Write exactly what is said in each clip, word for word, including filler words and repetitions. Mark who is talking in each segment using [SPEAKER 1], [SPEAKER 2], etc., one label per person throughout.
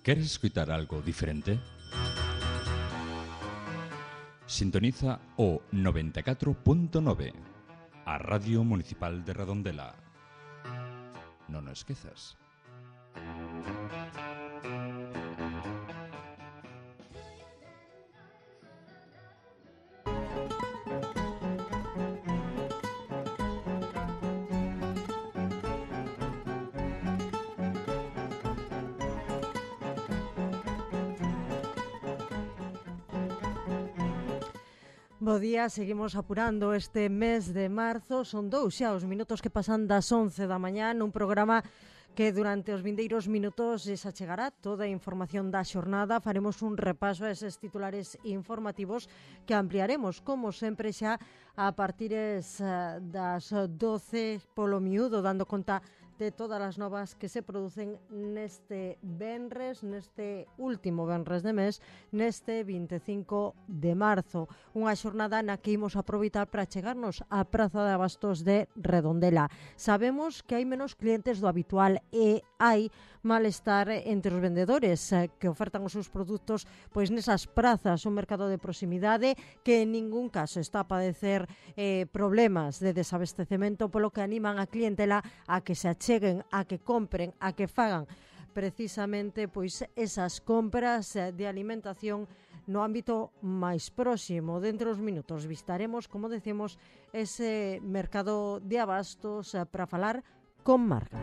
[SPEAKER 1] ¿Queres escuchar algo diferente? Sintoniza o noventa e catro punto nove, a Radio Municipal de Redondela. Non o esquezas.
[SPEAKER 2] Bo día, seguimos apurando este mes de marzo. Son dous xa os minutos que pasan das once da mañá nun programa que durante os vindeiros minutos se achegará toda a información da xornada. Faremos un repaso a eses titulares informativos que ampliaremos, como sempre, xa a partir das doce polo miúdo, dando conta de todas as novas que se producen neste venres, neste último venres de mes, neste vinte e cinco de marzo. Unha xornada na que imos aproveitar para chegarnos á Praza de Abastos de Redondela. Sabemos que hai menos clientes do habitual e hai malestar entre os vendedores que ofertan os seus produtos pois nesas prazas, un mercado de proximidade que en ningún caso está a padecer eh, problemas de desabastecemento, polo que animan a clientela a que se acheguen, a que compren, a que fagan precisamente pois esas compras de alimentación no ámbito máis próximo. Dentro dos minutos visitaremos, como decimos, ese mercado de abastos para falar con Marga.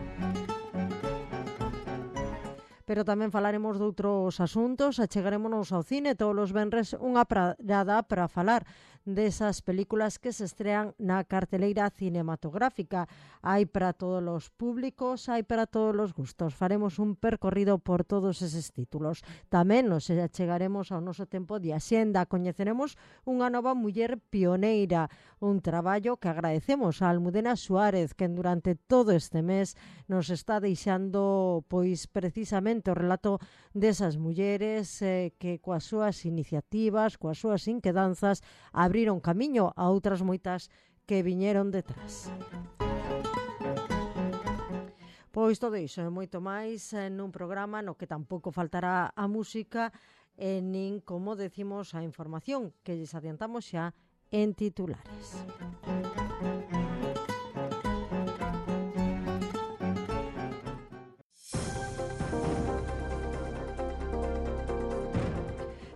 [SPEAKER 2] Pero tamén falaremos de outros asuntos, achegarémonos ao cine todos os venres unha parada para falar desas películas que se estrean na carteleira cinematográfica. Hai para todos os públicos, hai para todos os gustos. Faremos un percorrido por todos eses títulos. Tamén nos achegaremos ao noso tempo de axenda. Coñeceremos unha nova muller pioneira, un traballo que agradecemos a Almudena Suárez, que durante todo este mes nos está deixando pois precisamente o relato desas mulleres eh, que coas súas iniciativas, coas súas inquedanzas, abriron camiño a outras moitas que viñeron detrás. Pois todo iso e moito máis nun programa no que tampouco faltará a música e nin, como decimos, a información que lles adiantamos xa en titulares.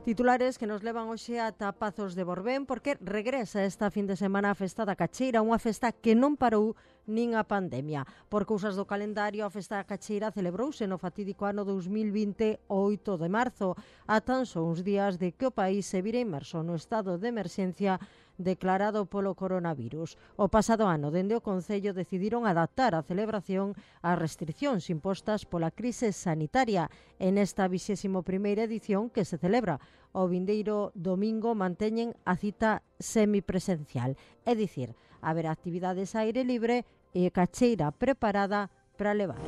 [SPEAKER 2] Titulares que nos levan hoxe ata Pazos de Borbén, porque regresa esta fin de semana a Festa da Cacheira, unha festa que non parou nin a pandemia. Por cousas do calendario, a Festa da Cacheira celebrouse no fatídico ano dous mil vinte, o oito de marzo, a tan só uns días de que o país se vira inmerso no estado de emerxencia declarado polo coronavirus. O pasado ano, dende o Concello, decidiron adaptar a celebración ás restriccións impostas pola crise sanitaria. En esta vixésimo primeira edición, que se celebra o vindeiro domingo, manteñen a cita semipresencial, é dicir, haberá actividades a aire libre e cacheira preparada para levar.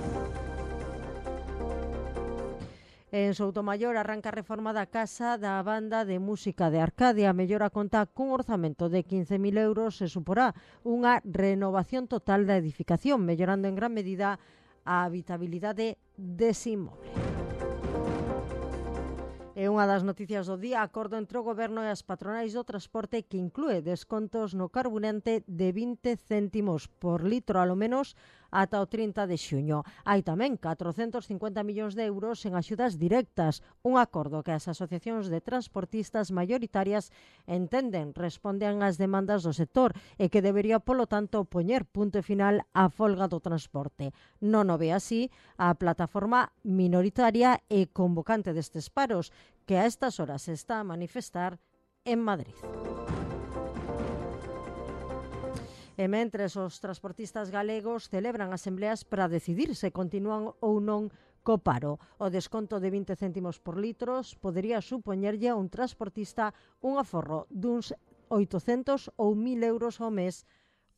[SPEAKER 2] En Soutomaior arranca a reforma da Casa da Banda de Música de Arcadia. A mellora conta cun orzamento de quince mil euros e suporá unha renovación total da edificación, mellorando en gran medida a habitabilidade dese inmoble. É unha das noticias do día, acordo entre o Goberno e as patronais do transporte que inclúe descontos no carburante de vinte céntimos por litro, alo menos ata o trinta de xuño. Hai tamén catrocentos cincuenta millóns de euros en axudas directas, un acordo que as asociacións de transportistas maioritarias entenden responden ás demandas do sector e que debería, polo tanto, poñer punto final á folga do transporte. Non o ve así a plataforma minoritaria e convocante destes paros, que a estas horas se está a manifestar en Madrid. E mentres os transportistas galegos celebran asembleas para decidir se continúan ou non co paro. O desconto de vinte céntimos por litros podería supoñerlle a un transportista un aforro duns oitocentos ou mil euros ao mes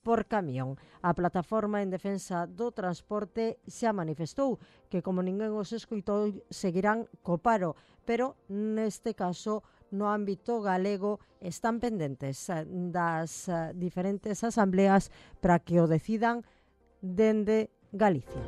[SPEAKER 2] por camión. A plataforma en defensa do transporte xa manifestou que, como ninguén os escoitou, seguirán co paro, pero neste caso no ámbito galego están pendentes das diferentes asambleas para que o decidan dende Galicia.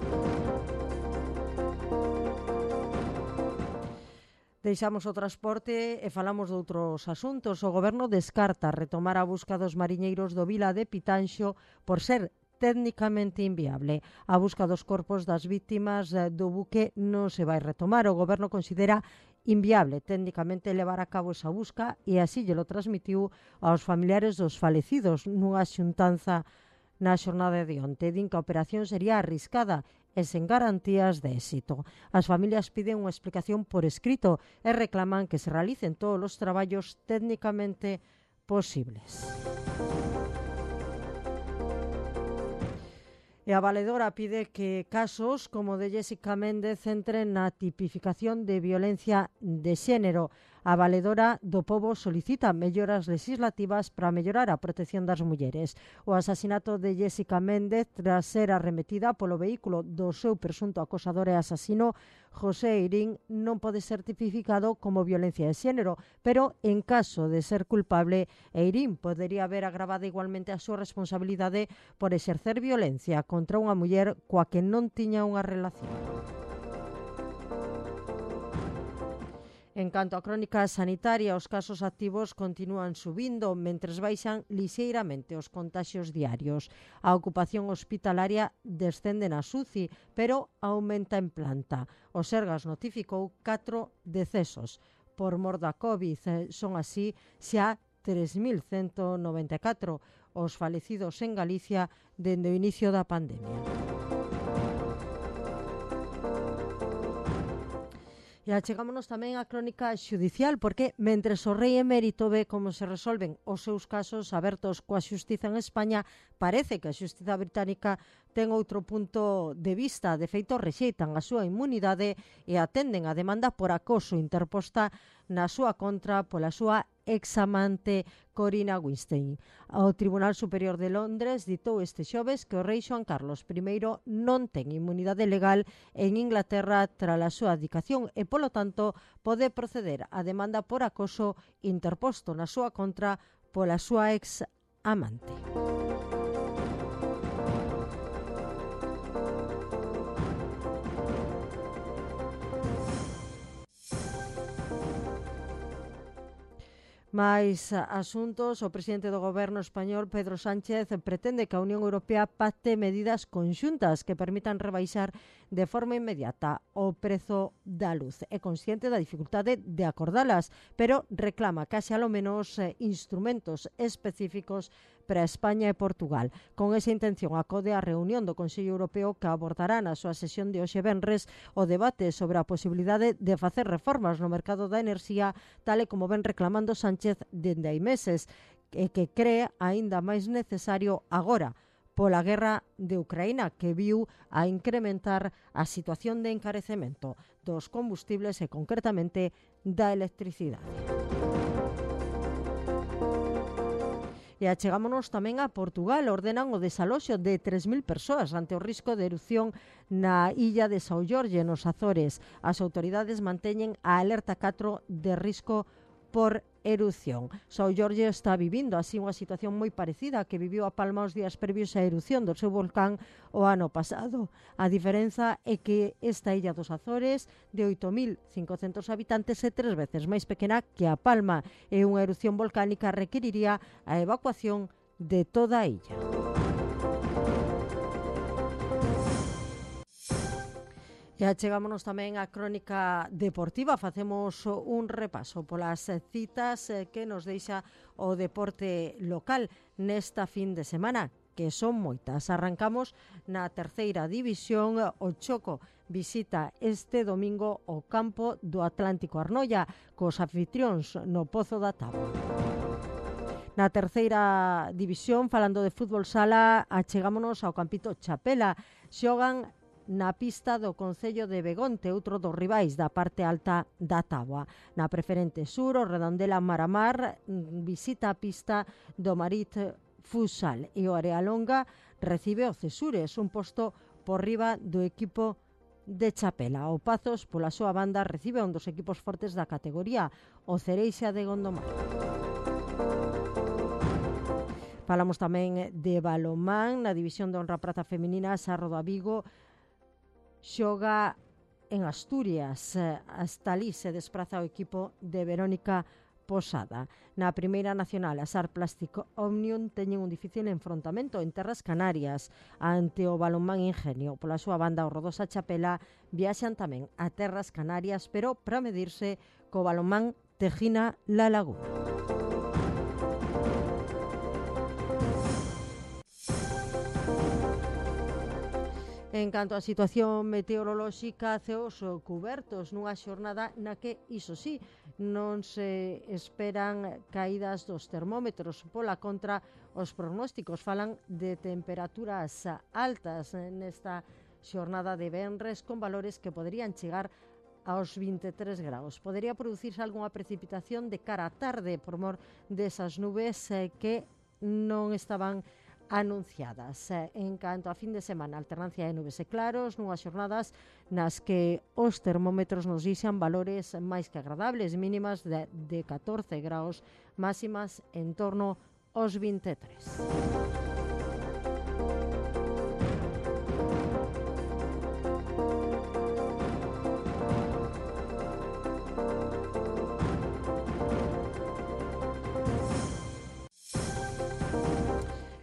[SPEAKER 2] Deixamos o transporte e falamos de outros asuntos. O Goberno descarta retomar a busca dos mariñeiros do Vila de Pitanxo por ser técnicamente inviable. A busca dos corpos das vítimas do buque non se vai retomar. O Goberno considera inviable técnicamente levar a cabo esa busca e así lle lo transmitiu aos familiares dos falecidos nunha xuntanza na xornada de onte. Din que a operación sería arriscada e sen garantías de éxito. As familias piden unha explicación por escrito e reclaman que se realicen todos os traballos técnicamente posibles. E a valedora pide que casos como de Jessica Méndez entren na tipificación de violencia de xénero. A valedora do Pobo solicita melloras legislativas para mellorar a protección das mulleres. O asasinato de Jessica Méndez tras ser arremetida polo vehículo do seu presunto acosador e asasino José Eirín non pode ser tipificado como violencia de xénero, pero en caso de ser culpable, Eirín podería haber agravado igualmente a súa responsabilidade por exercer violencia contra unha muller coa que non tiña unha relación. En canto á crónica sanitaria, os casos activos continúan subindo, mentres baixan lixeiramente os contaxios diarios. A ocupación hospitalaria descende na S U C I, pero aumenta en planta. O Sergas notificou catro decesos por mor da COVID. Son así xa tres mil ciento noventa e catro os falecidos en Galicia dende o inicio da pandemia. E achegámonos tamén á crónica xudicial, porque mentres o rei emérito ve como se resolven os seus casos abertos coa xustiza en España, parece que a xustiza británica ten outro punto de vista. De feito, rexeitan a súa inmunidade e atenden a demanda por acoso interposta na súa contra pola súa examante Corina Winstein. O Tribunal Superior de Londres ditou este xoves que o rei Xoán Carlos primeiro non ten inmunidade legal en Inglaterra tras a súa abdicación e, polo tanto, pode proceder a demanda por acoso interposto na súa contra pola súa ex-amante. Mais asuntos, o presidente do goberno español, Pedro Sánchez, pretende que a Unión Europea pacte medidas conxuntas que permitan rebaixar de forma inmediata o prezo da luz. É consciente da dificultade de acordalas, pero reclama que haxe alo menos eh, instrumentos específicos para España e Portugal. Con esa intención acode a reunión do Consello Europeo que abordará na súa sesión de hoxe venres o debate sobre a posibilidade de facer reformas no mercado da enerxía, tal e como ven reclamando Sánchez dende hai meses, e que cree aínda máis necesario agora pola guerra de Ucraína, que viu a incrementar a situación de encarecemento dos combustibles e concretamente da electricidade. E achegámonos tamén a Portugal. Ordenan o desaloxo de tres mil persoas ante o risco de erupción na illa de São Jorge, nos Azores. As autoridades manteñen a alerta catro de risco por erupción. São Jorge está vivindo así unha situación moi parecida a que viviu a Palma os días previos á erupción do seu volcán o ano pasado. A diferenza é que esta illa dos Azores, de oito mil cincocentos habitantes, é tres veces máis pequena que a Palma, e unha erupción volcánica requeriría a evacuación de toda a illa. E achegámonos tamén á crónica deportiva. Facemos un repaso polas citas que nos deixa o deporte local nesta fin de semana, que son moitas. Arrancamos na terceira división. O Choco visita este domingo o campo do Atlántico Arnoia cos anfitrións no Pozo da Táboa. Na terceira división, falando de fútbol sala, achegámonos ao Campito Chapela. Xogan na pista do Concello de Begonte, outro dos rivais da parte alta da táboa. Na preferente sur, o Redondela Maramar visita a pista do Marit Futsal e o Arealonga recibe o Cesures, un posto por riba do equipo de Chapela. O Pazos, pola súa banda, recibe un dos equipos fortes da categoría, o Cereixa de Gondomar. Falamos tamén de balonmán. Na división de honra prata feminina, Sarro da Vigo xoga en Asturias. Hasta ali se despraza o equipo de Verónica Posada. Na primeira nacional, a SAR Plastic Omnium teñen un difícil enfrontamento en terras canarias ante o Balonmán Ingenio. Pola súa banda, o Rodosa Chapela viaxan tamén a terras canarias, pero para medirse co Balonmán Tejina La Laguna. En canto á situación meteorolóxica, ceos cubertos nunha xornada na que, iso sí, non se esperan caídas dos termómetros. Pola contra, os pronósticos falan de temperaturas altas nesta xornada de venres, con valores que poderían chegar aos vinte e tres graus. Podería producirse algunha precipitación de cara á tarde por mor desas nubes que non estaban anunciadas. En canto a fin de semana, alternancia de nubes e claros, nunhas xornadas nas que os termómetros nos dixan valores máis que agradables, mínimas de, de catorce graus, máximas en torno aos vinte e tres.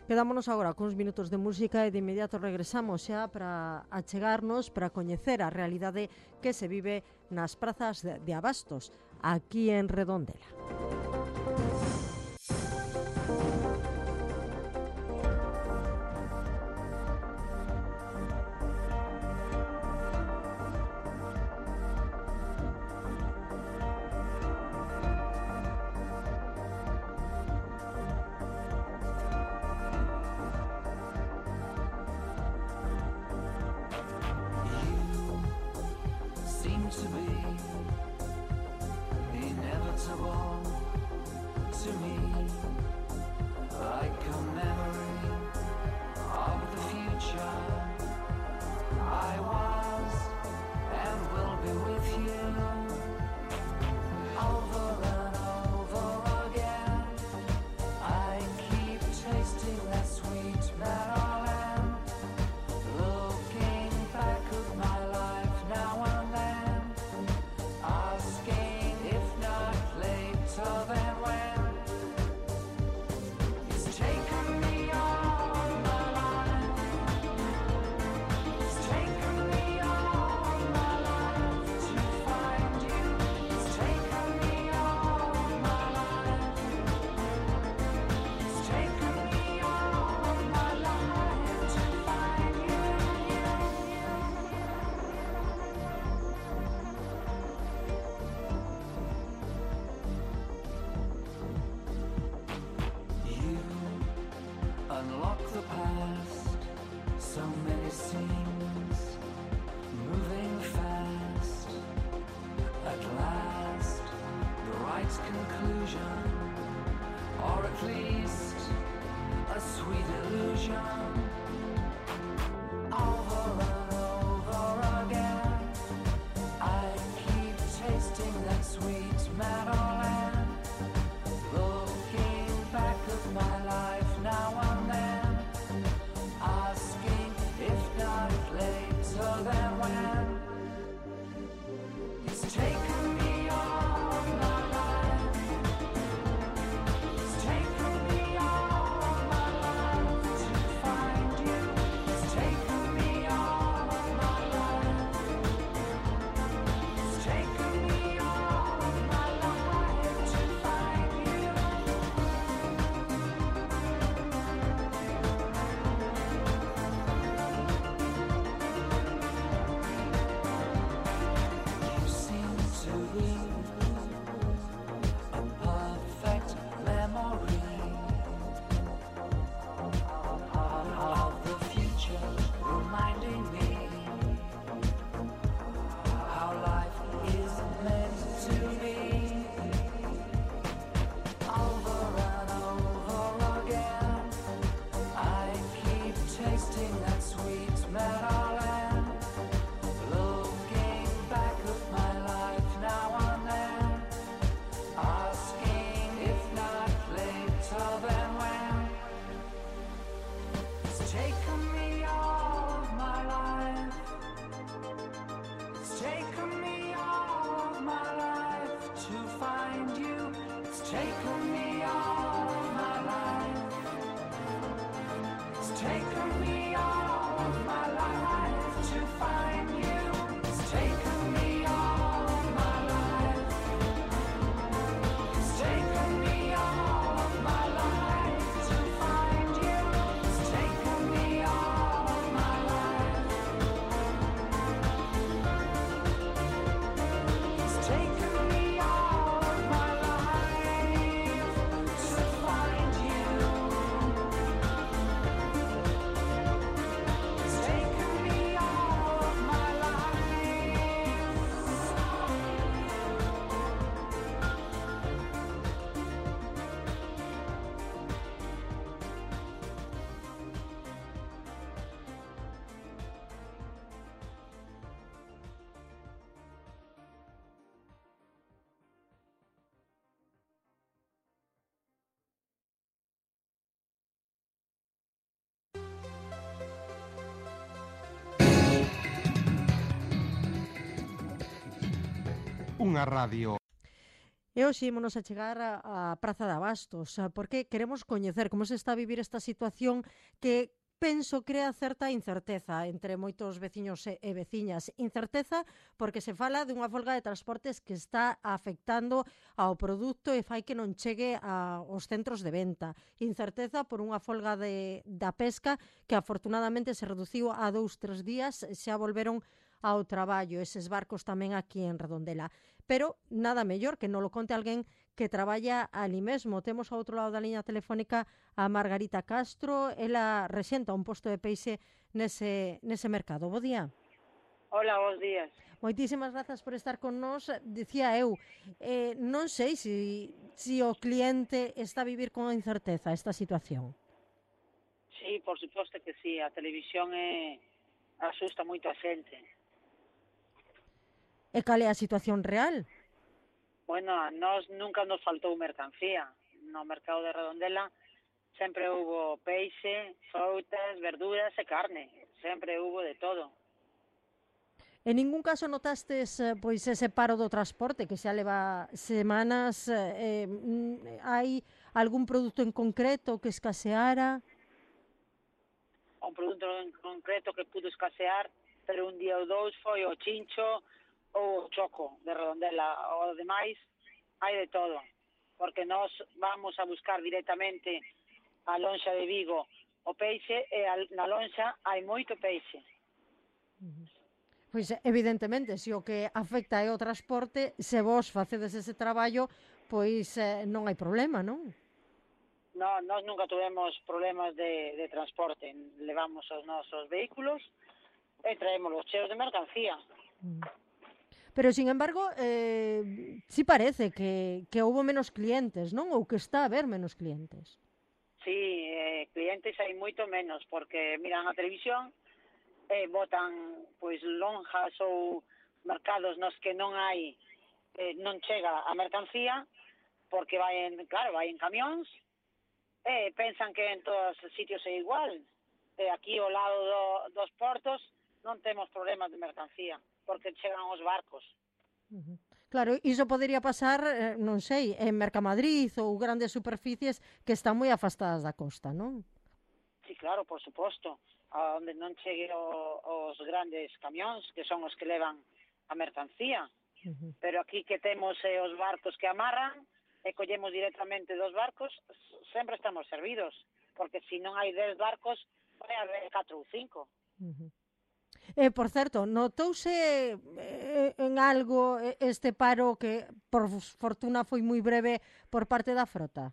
[SPEAKER 2] Quedámonos agora cuns minutos de música e de inmediato regresamos xa para achegarnos, para coñecer a realidade que se vive nas prazas de, de abastos aquí en Redondela.
[SPEAKER 3] To be inevitable to me, like a memory of the future. I was and will be with you over and over again. I keep tasting that sweet Maryland, looking back at my life now and then, asking if not later than when. It's taken me all my life. It's taken me all my life to find you. It's taken me all my life. It's taken me all my life to find you. You unlock the past, so many scenes, moving fast. At last, the right conclusion, or at least a sweet illusion. Over and over again, I keep tasting that sweet Maryland, looking back at my life now and then, asking if not later than when. It's taken me all my life. It's taken me taken me all of my life. It's taken me all of my life to find you. It's taken me all of my life. It's taken me all of my life to find you. It's taken me all of my life. It's taken me all of my life to find you. It's taken me all of my life.
[SPEAKER 4] Unha radio.
[SPEAKER 2] E hoxe ímonos a chegar á Praza de Abastos, ah, porque queremos coñecer como se está a vivir esta situación que penso crea certa incerteza entre moitos veciños e, e veciñas. Incerteza porque se fala dunha folga de transportes que está afectando ao produto e fai que non chegue a, aos centros de venta. Incerteza por unha folga de, da pesca que afortunadamente se reduciu a dous, tres días, xa volveron ao traballo, eses barcos tamén aquí en Redondela. Pero nada mellor que non lo conte alguén que traballa ali mesmo. Temos ao outro lado da liña telefónica a Margarita Castro, ela rexenta un posto de peixe nese, nese mercado. Bo día.
[SPEAKER 5] Hola, bons días.
[SPEAKER 2] Moitísimas grazas por estar con nós. Dicía eu, eh, non sei se si, si o cliente está a vivir con incerteza esta situación.
[SPEAKER 5] Sí, por suposto que sí, a televisión é asusta moito a xente.
[SPEAKER 2] E cal é a situación real?
[SPEAKER 5] Bueno, a nós nunca nos faltou mercancía. No mercado de Redondela sempre hubo peixe, frutas, verduras e carne. Sempre hubo de todo.
[SPEAKER 2] En ningún caso notastes eh, pois ese paro do transporte que xa leva semanas, eh, mm, hai algún produto en concreto que escaseara?
[SPEAKER 5] Un produto en concreto que pudo escasear, pero un día ou dous foi o chincho ou o choco de Redondela. O demais hai de todo, porque nós vamos a buscar directamente a lonxa de Vigo o peixe e a- na lonxa hai moito peixe.
[SPEAKER 2] Pois evidentemente, se o que afecta é o transporte, se vos facedes ese traballo, pois eh, non hai problema, non?
[SPEAKER 5] No, nós nunca tuvemos problemas de, de transporte. Levamos os nosos vehículos e traemos os cheos de mercancía.
[SPEAKER 2] Pero, sin embargo, eh, sí parece que, que houve menos clientes, non? Ou que está a haber menos clientes.
[SPEAKER 5] Sí, eh, clientes hai moito menos, porque miran a televisión e botan pois lonjas ou mercados nos que non hai, eh, non chega a mercancía, porque vai en, claro, vai en camións, e pensan que en todos os sitios é igual. E aquí ao lado do, dos portos non temos problemas de mercancía, porque chegan os barcos.
[SPEAKER 2] Claro, iso podería pasar, eh, non sei, en Mercamadrid ou grandes superficies que están moi afastadas da costa, non?
[SPEAKER 5] Sí, claro, por suposto, a onde non chegue o, os grandes camións, que son os que levan a mercancía. Pero aquí que temos eh, os barcos que amarran e collemos directamente dos barcos, s- sempre estamos servidos, porque se non hai dez barcos, vai haber catro ou cinco.
[SPEAKER 2] E, por certo, notouse eh, en algo eh, este paro que, por fortuna, foi moi breve por parte da frota?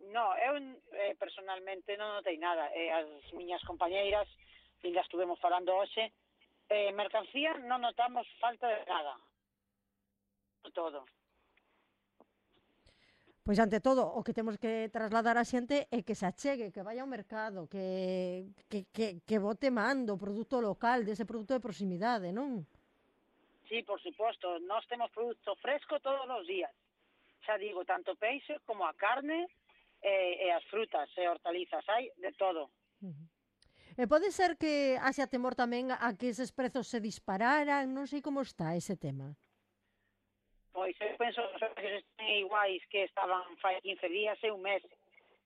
[SPEAKER 5] No, eu eh, personalmente non notei nada. Eh, as miñas compañeiras, e las estuvemos falando hoxe, eh, mercancía non notamos falta de nada. Todo.
[SPEAKER 2] Pois, ante todo, o que temos que trasladar a xente é que se achegue, que vaya ao mercado, que, que, que, que bote mando o produto local, dese produto de proximidade, non?
[SPEAKER 5] Sí, por suposto, nós temos produto fresco todos os días. Xa digo, tanto peixe como a carne e, e as frutas e hortalizas, hai de todo.
[SPEAKER 2] E pode ser que haxa temor tamén a que eses prezos se dispararan, non sei como está ese tema.
[SPEAKER 5] Pois eu penso que os precios están iguais que estaban fai quince días e un mes.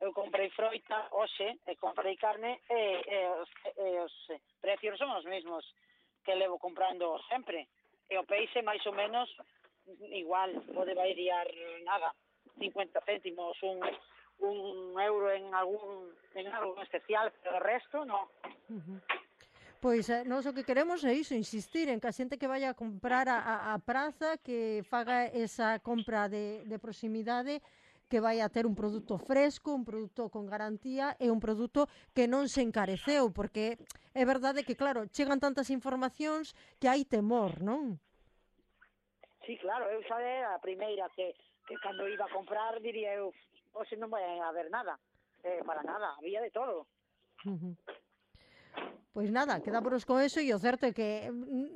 [SPEAKER 5] Eu comprei froita hoxe e comprei carne e, e, os, e os precios son os mesmos que levo comprando sempre. E o peixe máis ou menos igual, pode variar nada, cincuenta céntimos, un, un euro en algún en algo especial, pero o resto no.
[SPEAKER 2] Uh-huh. Pois eh, nós o que queremos é iso, insistir en que a xente que vaya a comprar a, a, a praza, que faga esa compra de, de proximidade, que vai a ter un produto fresco, un produto con garantía e un produto que non se encareceu, porque é verdade que, claro, chegan tantas informacións que hai temor, non?
[SPEAKER 5] Sí, claro, eu xa era a primeira que, que cando iba a comprar diría eu, hoxe non vai a haber nada, eh, para nada, había de todo.
[SPEAKER 2] Uh-huh. Pois nada, quedámonos con eso e o certo é que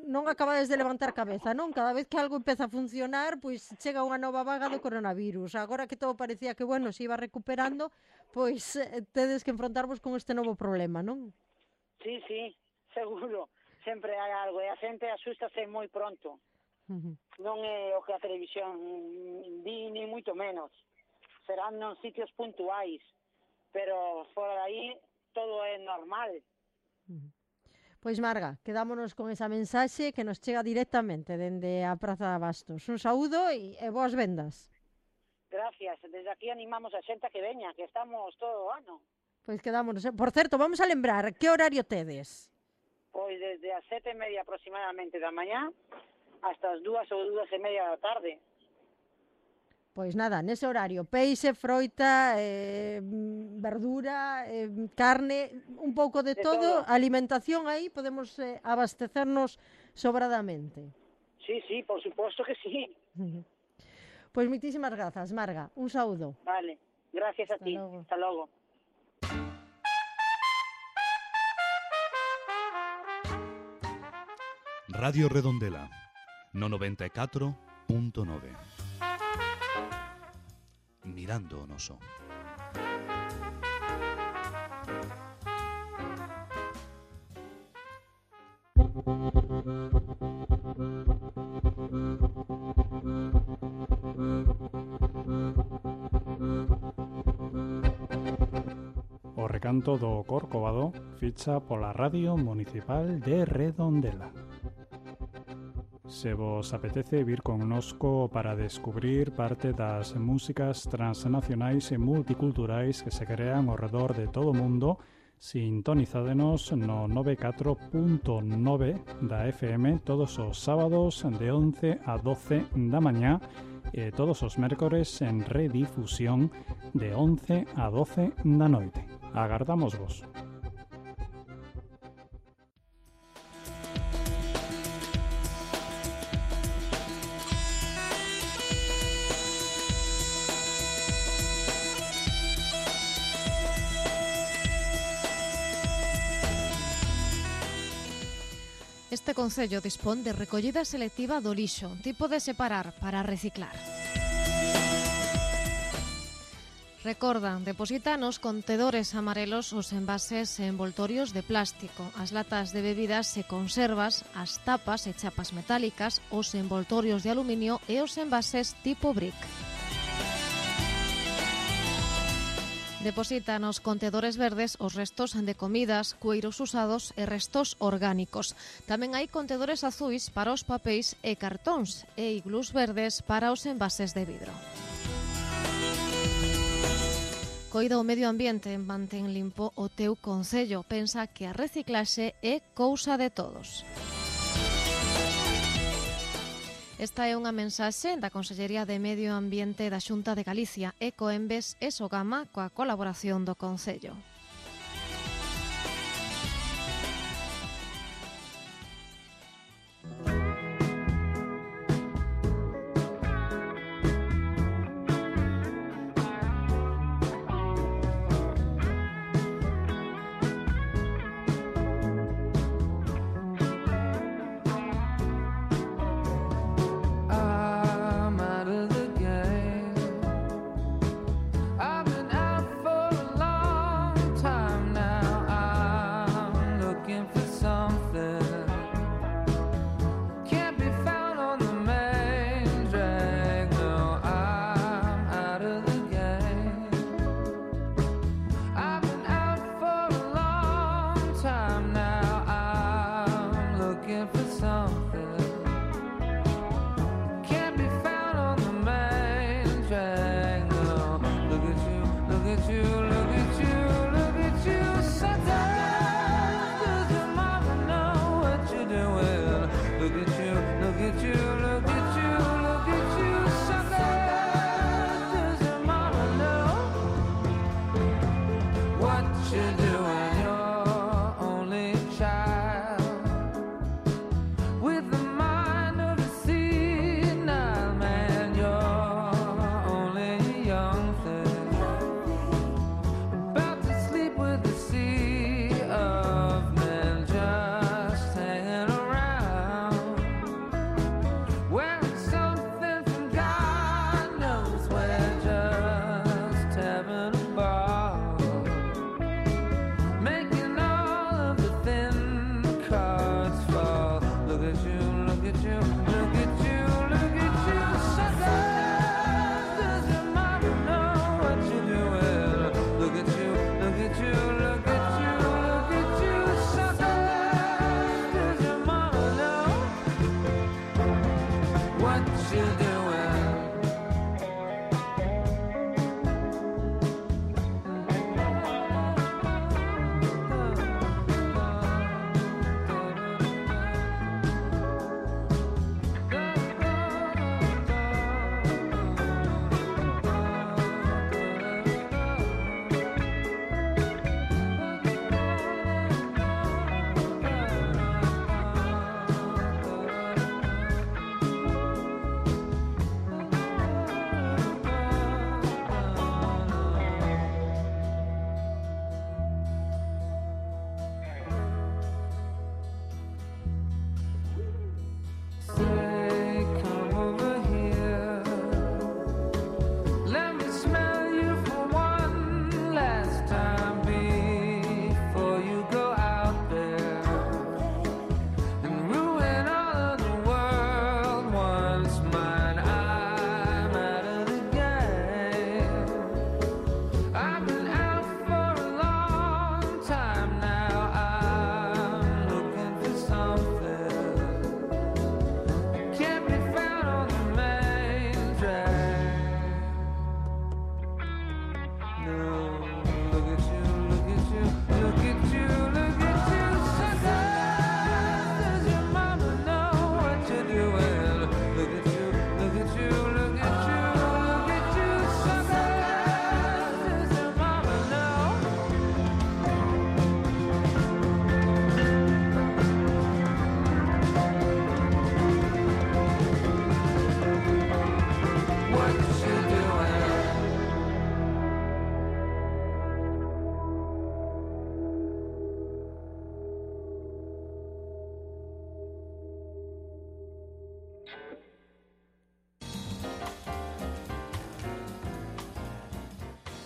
[SPEAKER 2] non acabades de levantar cabeza, non? Cada vez que algo empeza a funcionar, pois chega unha nova vaga do coronavirus. Agora que todo parecía que, bueno, se iba recuperando, pois eh, tedes que enfrontarvos con este novo problema, non?
[SPEAKER 5] Sí, sí, seguro, sempre hai algo e a xente asústase moi pronto.
[SPEAKER 2] Uh-huh.
[SPEAKER 5] Non é o que a televisión di ni moito menos. Serán nos sitios puntuais, pero fora de aí todo é normal.
[SPEAKER 2] Uh-huh. Pois Marga, quedámonos con esa mensaxe que nos chega directamente dende a Praza de Abastos. Un saúdo e, e boas vendas.
[SPEAKER 5] Gracias, desde aquí animamos a xente a que veña, que estamos todo o ano.
[SPEAKER 2] Pois quedámonos. Por certo, vamos a lembrar, que horario tedes?
[SPEAKER 5] Pois desde as sete e media aproximadamente da mañá hasta as dúas ou dúas e media da tarde.
[SPEAKER 2] Pois nada, nese horario, peixe, froita, eh, verdura, eh, carne, un pouco de,
[SPEAKER 5] De
[SPEAKER 2] todo,
[SPEAKER 5] todo.
[SPEAKER 2] alimentación aí, podemos eh, abastecernos sobradamente.
[SPEAKER 5] Sí, sí, por suposto que sí.
[SPEAKER 2] Pois moitísimas grazas, Marga, un saúdo.
[SPEAKER 5] Vale, gracias a
[SPEAKER 2] Hasta
[SPEAKER 5] ti.
[SPEAKER 2] logo.
[SPEAKER 5] Hasta logo.
[SPEAKER 1] Radio Redondela, no noventa e catro punto nove. Mirando o noso.
[SPEAKER 4] O recanto do Corcovado ficha pola Radio Municipal de Redondela. Se vos apetece vir connosco para descubrir parte das músicas transnacionais e multiculturais que se crean ao redor de todo o mundo, sintonizádenos no noventa e catro punto nove da F M todos os sábados de once a doce da mañá e todos os mércores en redifusión de once a doce da noite. Agardamos vos.
[SPEAKER 6] Este concello dispón de recollida selectiva do lixo, tipo de separar para reciclar. Recorda, deposita nos contedores amarelos os envases e envoltorios de plástico, as latas de bebidas e conservas, as tapas e chapas metálicas, os envoltorios de aluminio e os envases tipo brick. Deposita nos contedores verdes os restos de comidas, cueiros usados e restos orgánicos. Tamén hai contedores azuis para os papéis e cartóns e iglús verdes para os envases de vidro. Coida o medio ambiente, mantén limpo o teu concello. Pensa que a reciclaxe é cousa de todos. Esta é unha mensaxe da Consellería de Medio Ambiente da Xunta de Galicia, Ecoembes e Sogama coa colaboración do Concello.
[SPEAKER 3] I'm out of the game. I've been out for a long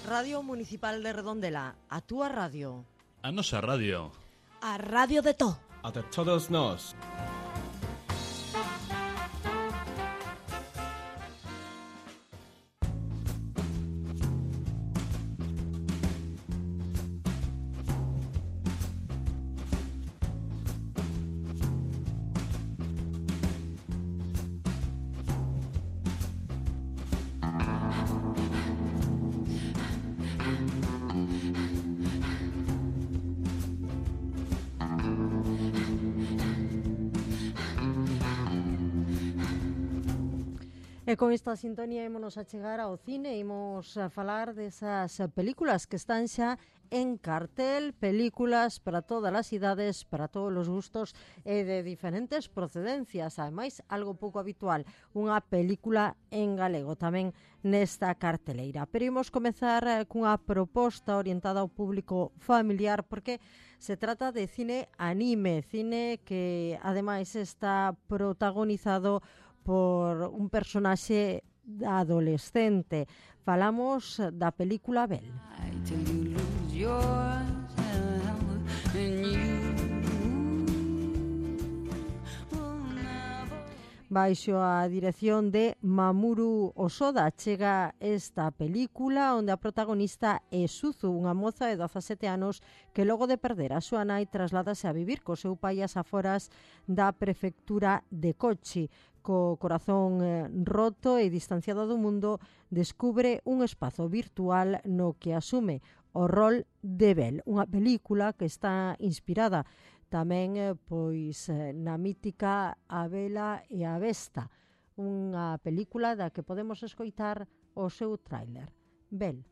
[SPEAKER 2] Radio Municipal de Redondela, a túa radio.
[SPEAKER 7] A nosa radio.
[SPEAKER 8] A radio de to.
[SPEAKER 9] A de todos nós.
[SPEAKER 2] E con esta sintonía ímonos a chegar ao cine, imos a falar desas películas que están xa en cartel, películas para todas as idades, para todos os gustos e de diferentes procedencias, ademais algo pouco habitual, unha película en galego tamén nesta carteleira. Pero imos comezar cunha proposta orientada ao público familiar porque se trata de cine anime, cine que ademais está protagonizado por un personaxe adolescente. Falamos da película Belle. Baixo a dirección de Mamoru Hosoda chega esta película onde a protagonista é Suzu, unha moza de dezasete anos que logo de perder a súa nai trasládase a vivir co seu pai ás aforas da prefectura de Kochi. Co corazón eh, roto e distanciado do mundo, descubre un espazo virtual no que asume o rol de Belle, unha película que está inspirada tamén eh, pois eh, na mítica A Bela e a Besta, unha película da que podemos escoitar o seu tráiler. Belle.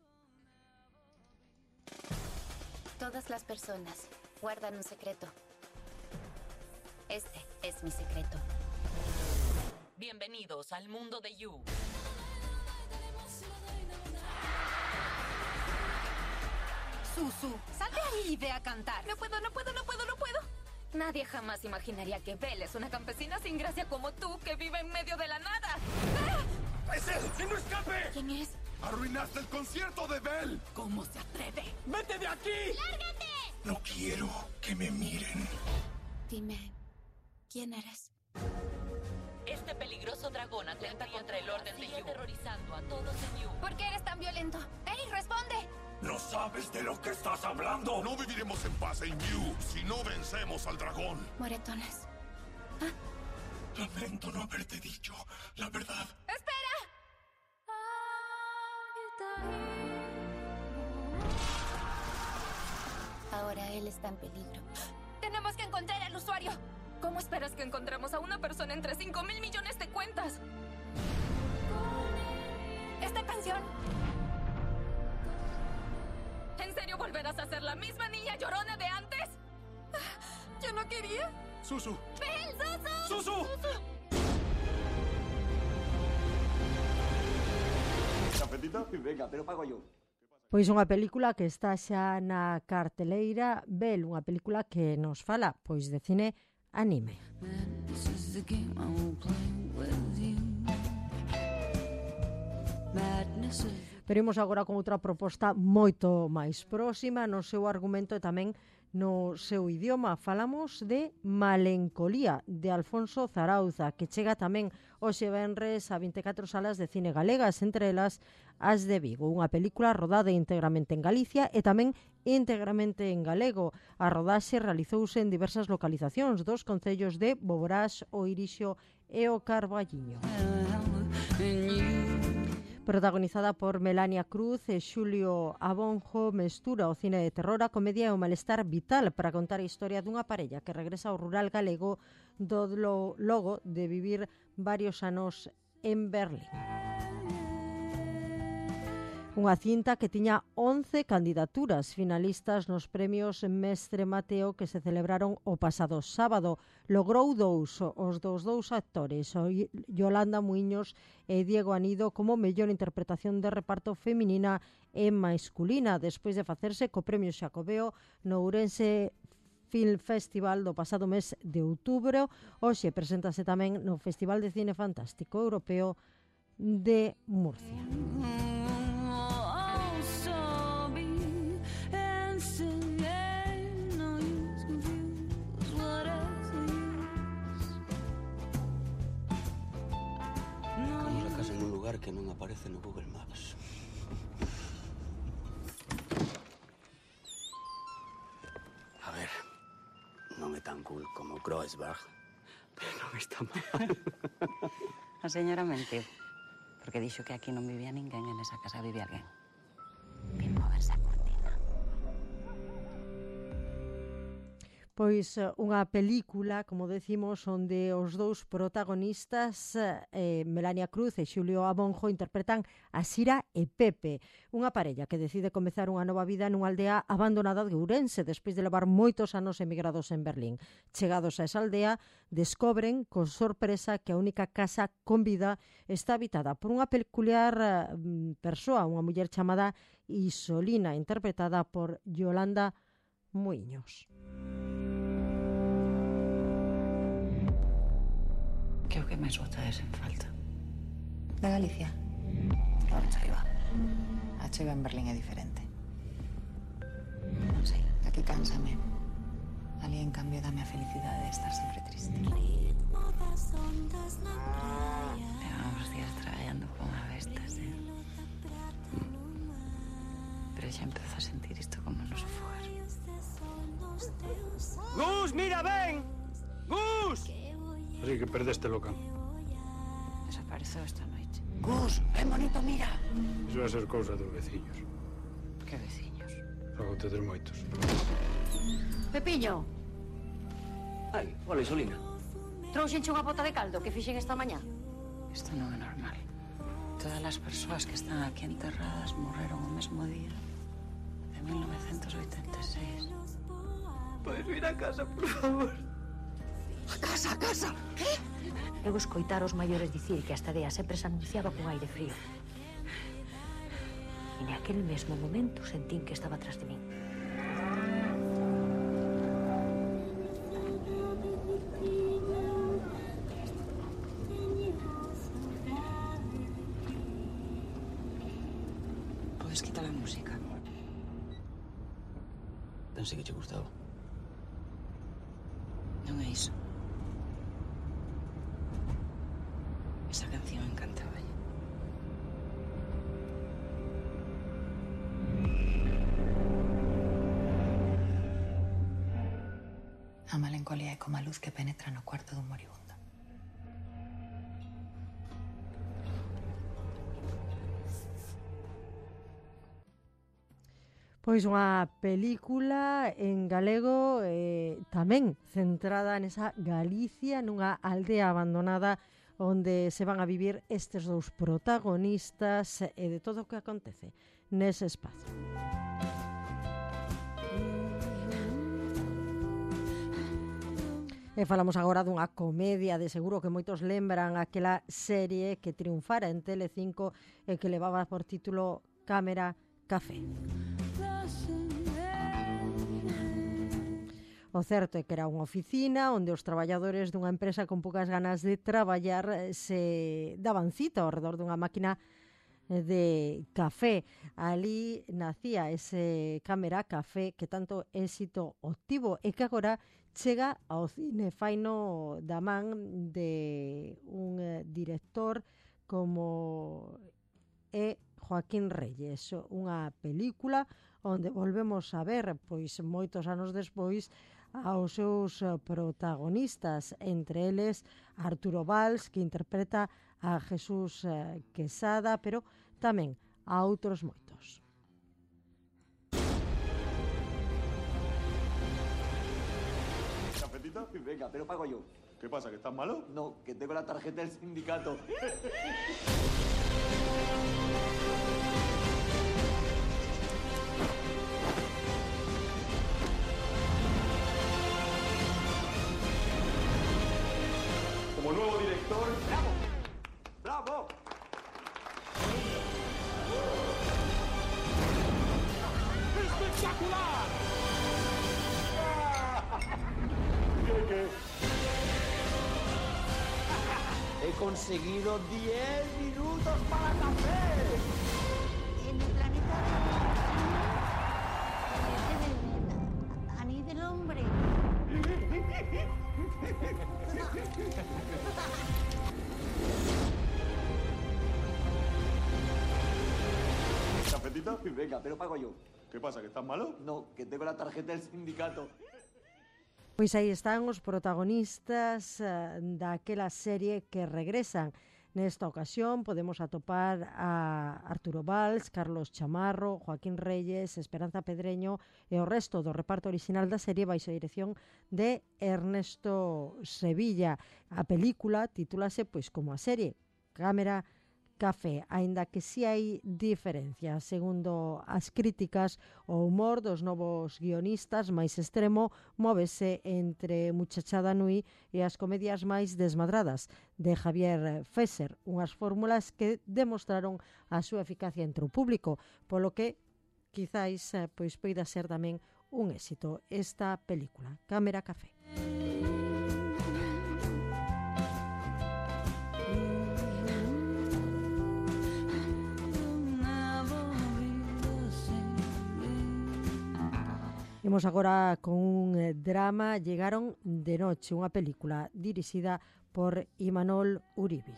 [SPEAKER 10] Todas las personas guardan un secreto. Este es mi secreto.
[SPEAKER 11] Bienvenidos al mundo de You.
[SPEAKER 10] Susu, salte ahí y ve a cantar. No puedo, no puedo, no puedo, no puedo. Nadie jamás imaginaría que Belle es una campesina sin gracia como tú, que vive en medio de la nada. ¡Ah!
[SPEAKER 12] ¡Es él! ¡Que no escape!
[SPEAKER 10] ¿Quién es?
[SPEAKER 12] ¡Arruinaste el concierto de Belle!
[SPEAKER 10] ¿Cómo se atreve?
[SPEAKER 12] ¡Vete de aquí!
[SPEAKER 10] ¡Lárgate!
[SPEAKER 12] No quiero que me miren.
[SPEAKER 10] Dime, ¿quién eres?
[SPEAKER 11] Este peligroso dragón atenta contra el orden de You, aterrorizando a todos en You.
[SPEAKER 10] ¿Por qué eres tan violento? ¡Ey, responde!
[SPEAKER 12] ¿No sabes de lo que estás hablando? No viviremos en paz en You si no vencemos al dragón.
[SPEAKER 10] Moretones. ¿Ah?
[SPEAKER 12] Lamento no haberte dicho la verdad.
[SPEAKER 10] ¡Espera! Ahora él está en peligro. ¡Tenemos que encontrar al usuario! ¿Cómo esperas que encontremos a una persona entre cinco mil millones de cuentas? ¡Esta canción! ¿En serio volverás a ser la misma niña llorona de antes? ¿Yo no quería?
[SPEAKER 12] ¡Susu!
[SPEAKER 10] ¡Belle, Susu!
[SPEAKER 12] ¡Susu!
[SPEAKER 13] ¿Apetito? Venga, pero pago yo.
[SPEAKER 2] Pois unha película que está xa na carteleira, Belle, unha película que nos fala pois de cine anime. Pero imos agora con outra proposta moito máis próxima no seu argumento e tamén no seu idioma. Falamos de Malencolía, de Alfonso Zarauza, que chega tamén hoxe venres a vinte e catro salas de cine galegas, entre elas as de Vigo. Unha película rodada íntegramente en Galicia e tamén íntegramente en galego. A rodaxe realizouse en diversas localizacións dos concellos de Boborás, o Irixo e o Carballiño. Protagonizada por Melania Cruz e Xulio Abonjo, mestura o cine de terror, a comedia e o malestar vital para contar a historia dunha parella que regresa ao rural galego do logo de vivir varios anos en Berlín. Unha cinta que tiña once candidaturas finalistas nos premios Mestre Mateo que se celebraron o pasado sábado. Logrou dous, os dos dous actores, Yolanda Muiños e Diego Anido, como mellor interpretación de reparto feminina e masculina, despois de facerse co premio Xacobeo no Ourense Film Festival do pasado mes de outubro. Hoxe preséntase tamén no Festival de Cine Fantástico Europeo de Murcia.
[SPEAKER 7] Estamos en un lugar que non aparece no Google Maps. A ver, non é tan cool como Kreuzberg, pero non está mal.
[SPEAKER 9] A señora mentiu, porque dixo que aquí non vivía ninguén, en esa casa vivía alguén. Vin moverse a cortina.
[SPEAKER 2] Pois unha película, como decimos, onde os dous protagonistas, eh, Melania Cruz e Xulio Abonjo, interpretan a Sira e Pepe, unha parella que decide comezar unha nova vida nunha aldea abandonada de Ourense despois de levar moitos anos emigrados en Berlín. Chegados a esa aldea, descobren con sorpresa que a única casa con vida está habitada por unha peculiar eh, persoa, unha muller chamada Isolina, interpretada por Yolanda Muiños.
[SPEAKER 9] Que o que máis botas en falta? Da Galicia? Non sei, va. A chega en Berlín é diferente. Non sei, aquí cánsame. Ali, en cambio, dame a felicidade de estar sempre triste. Levamos días traballando con a bestas, eh? Pero xa empezo a sentir isto como nos fogar.
[SPEAKER 7] Gus, mira, ven! Gus!
[SPEAKER 14] Así que perdeste loca.
[SPEAKER 9] Desapareceu esta noite.
[SPEAKER 7] Gus, ven bonito, mira!
[SPEAKER 14] Iso vai ser cousa dos veciños.
[SPEAKER 9] Que veciños?
[SPEAKER 14] Logo tedes moitos.
[SPEAKER 15] Pepiño,
[SPEAKER 7] Ai, hola, Isolina.
[SPEAKER 15] trouxenche unha bota de caldo que fixen esta mañá.
[SPEAKER 9] Isto non é normal. Todas as persoas que están aquí enterradas morreron o mesmo día de mil novecentos oitenta e seis.
[SPEAKER 7] Podes vir a casa, por favor? A casa, a casa!
[SPEAKER 15] Que? Eu escoitar os maiores dicir que esta dea sempre se anunciaba con aire frío. E naquel mesmo momento sentín que estaba atrás de min.
[SPEAKER 9] Podes quitar a música.
[SPEAKER 7] Pensei que che gustaba.
[SPEAKER 9] Non é iso. Esa canción encantaba. A melancolía é como a luz que penetra no cuarto dun moribundo.
[SPEAKER 2] Pois unha película en galego eh, tamén centrada nesa Galicia, nunha aldea abandonada onde se van a vivir estes dous protagonistas e de todo o que acontece nese espazo. E falamos agora dunha comedia, de seguro que moitos lembran aquela serie que triunfara en Telecinco e que levaba por título Cámara Café. O certo é que era unha oficina onde os traballadores dunha empresa con poucas ganas de traballar se daban cita ao redor dunha máquina de café. Ali nacía ese Cámara Café que tanto éxito obtivo e que agora chega ao cine, faino da man de un director como é Joaquín Reyes, unha película onde volvemos a ver, pois moitos anos despois, aos seus protagonistas, entre eles Arturo Valls, que interpreta a Jesús Quesada, pero tamén a outros moitos.
[SPEAKER 13] ¿Cafetito? Venga, pero pago yo.
[SPEAKER 12] ¿Qué pasa, que estás malo?
[SPEAKER 13] No, que tengo la tarjeta del sindicato.
[SPEAKER 12] Como nuevo director...
[SPEAKER 13] ¡Bravo! ¡Bravo!
[SPEAKER 12] ¡Espectacular! ¿Qué,
[SPEAKER 13] He conseguido diez minutos para café.
[SPEAKER 15] En el planeta a ni del hombre.
[SPEAKER 13] cervecita? Venga, pero pago yo.
[SPEAKER 12] ¿Qué pasa, que estás malo?
[SPEAKER 13] No, que tengo la tarjeta del sindicato.
[SPEAKER 2] Pois aí están os protagonistas uh, daquela serie que regresan. Nesta ocasión podemos atopar a Arturo Valls, Carlos Chamarro, Joaquín Reyes, Esperanza Pedreño e o resto do reparto original da serie baixo a dirección de Ernesto Sevilla. A película titúlase pois como a serie Cámara Café, aínda que si hai diferencias. Segundo as críticas, o humor dos novos guionistas máis extremo móvese entre Muchachada Nui e as comedias máis desmadradas de Javier Fesser, unhas fórmulas que demostraron a súa eficacia entre o público, polo que quizáis pois poida ser tamén un éxito esta película, Cámara Café. Imos agora con un drama Llegaron de noche, unha película dirixida por Imanol Uribe.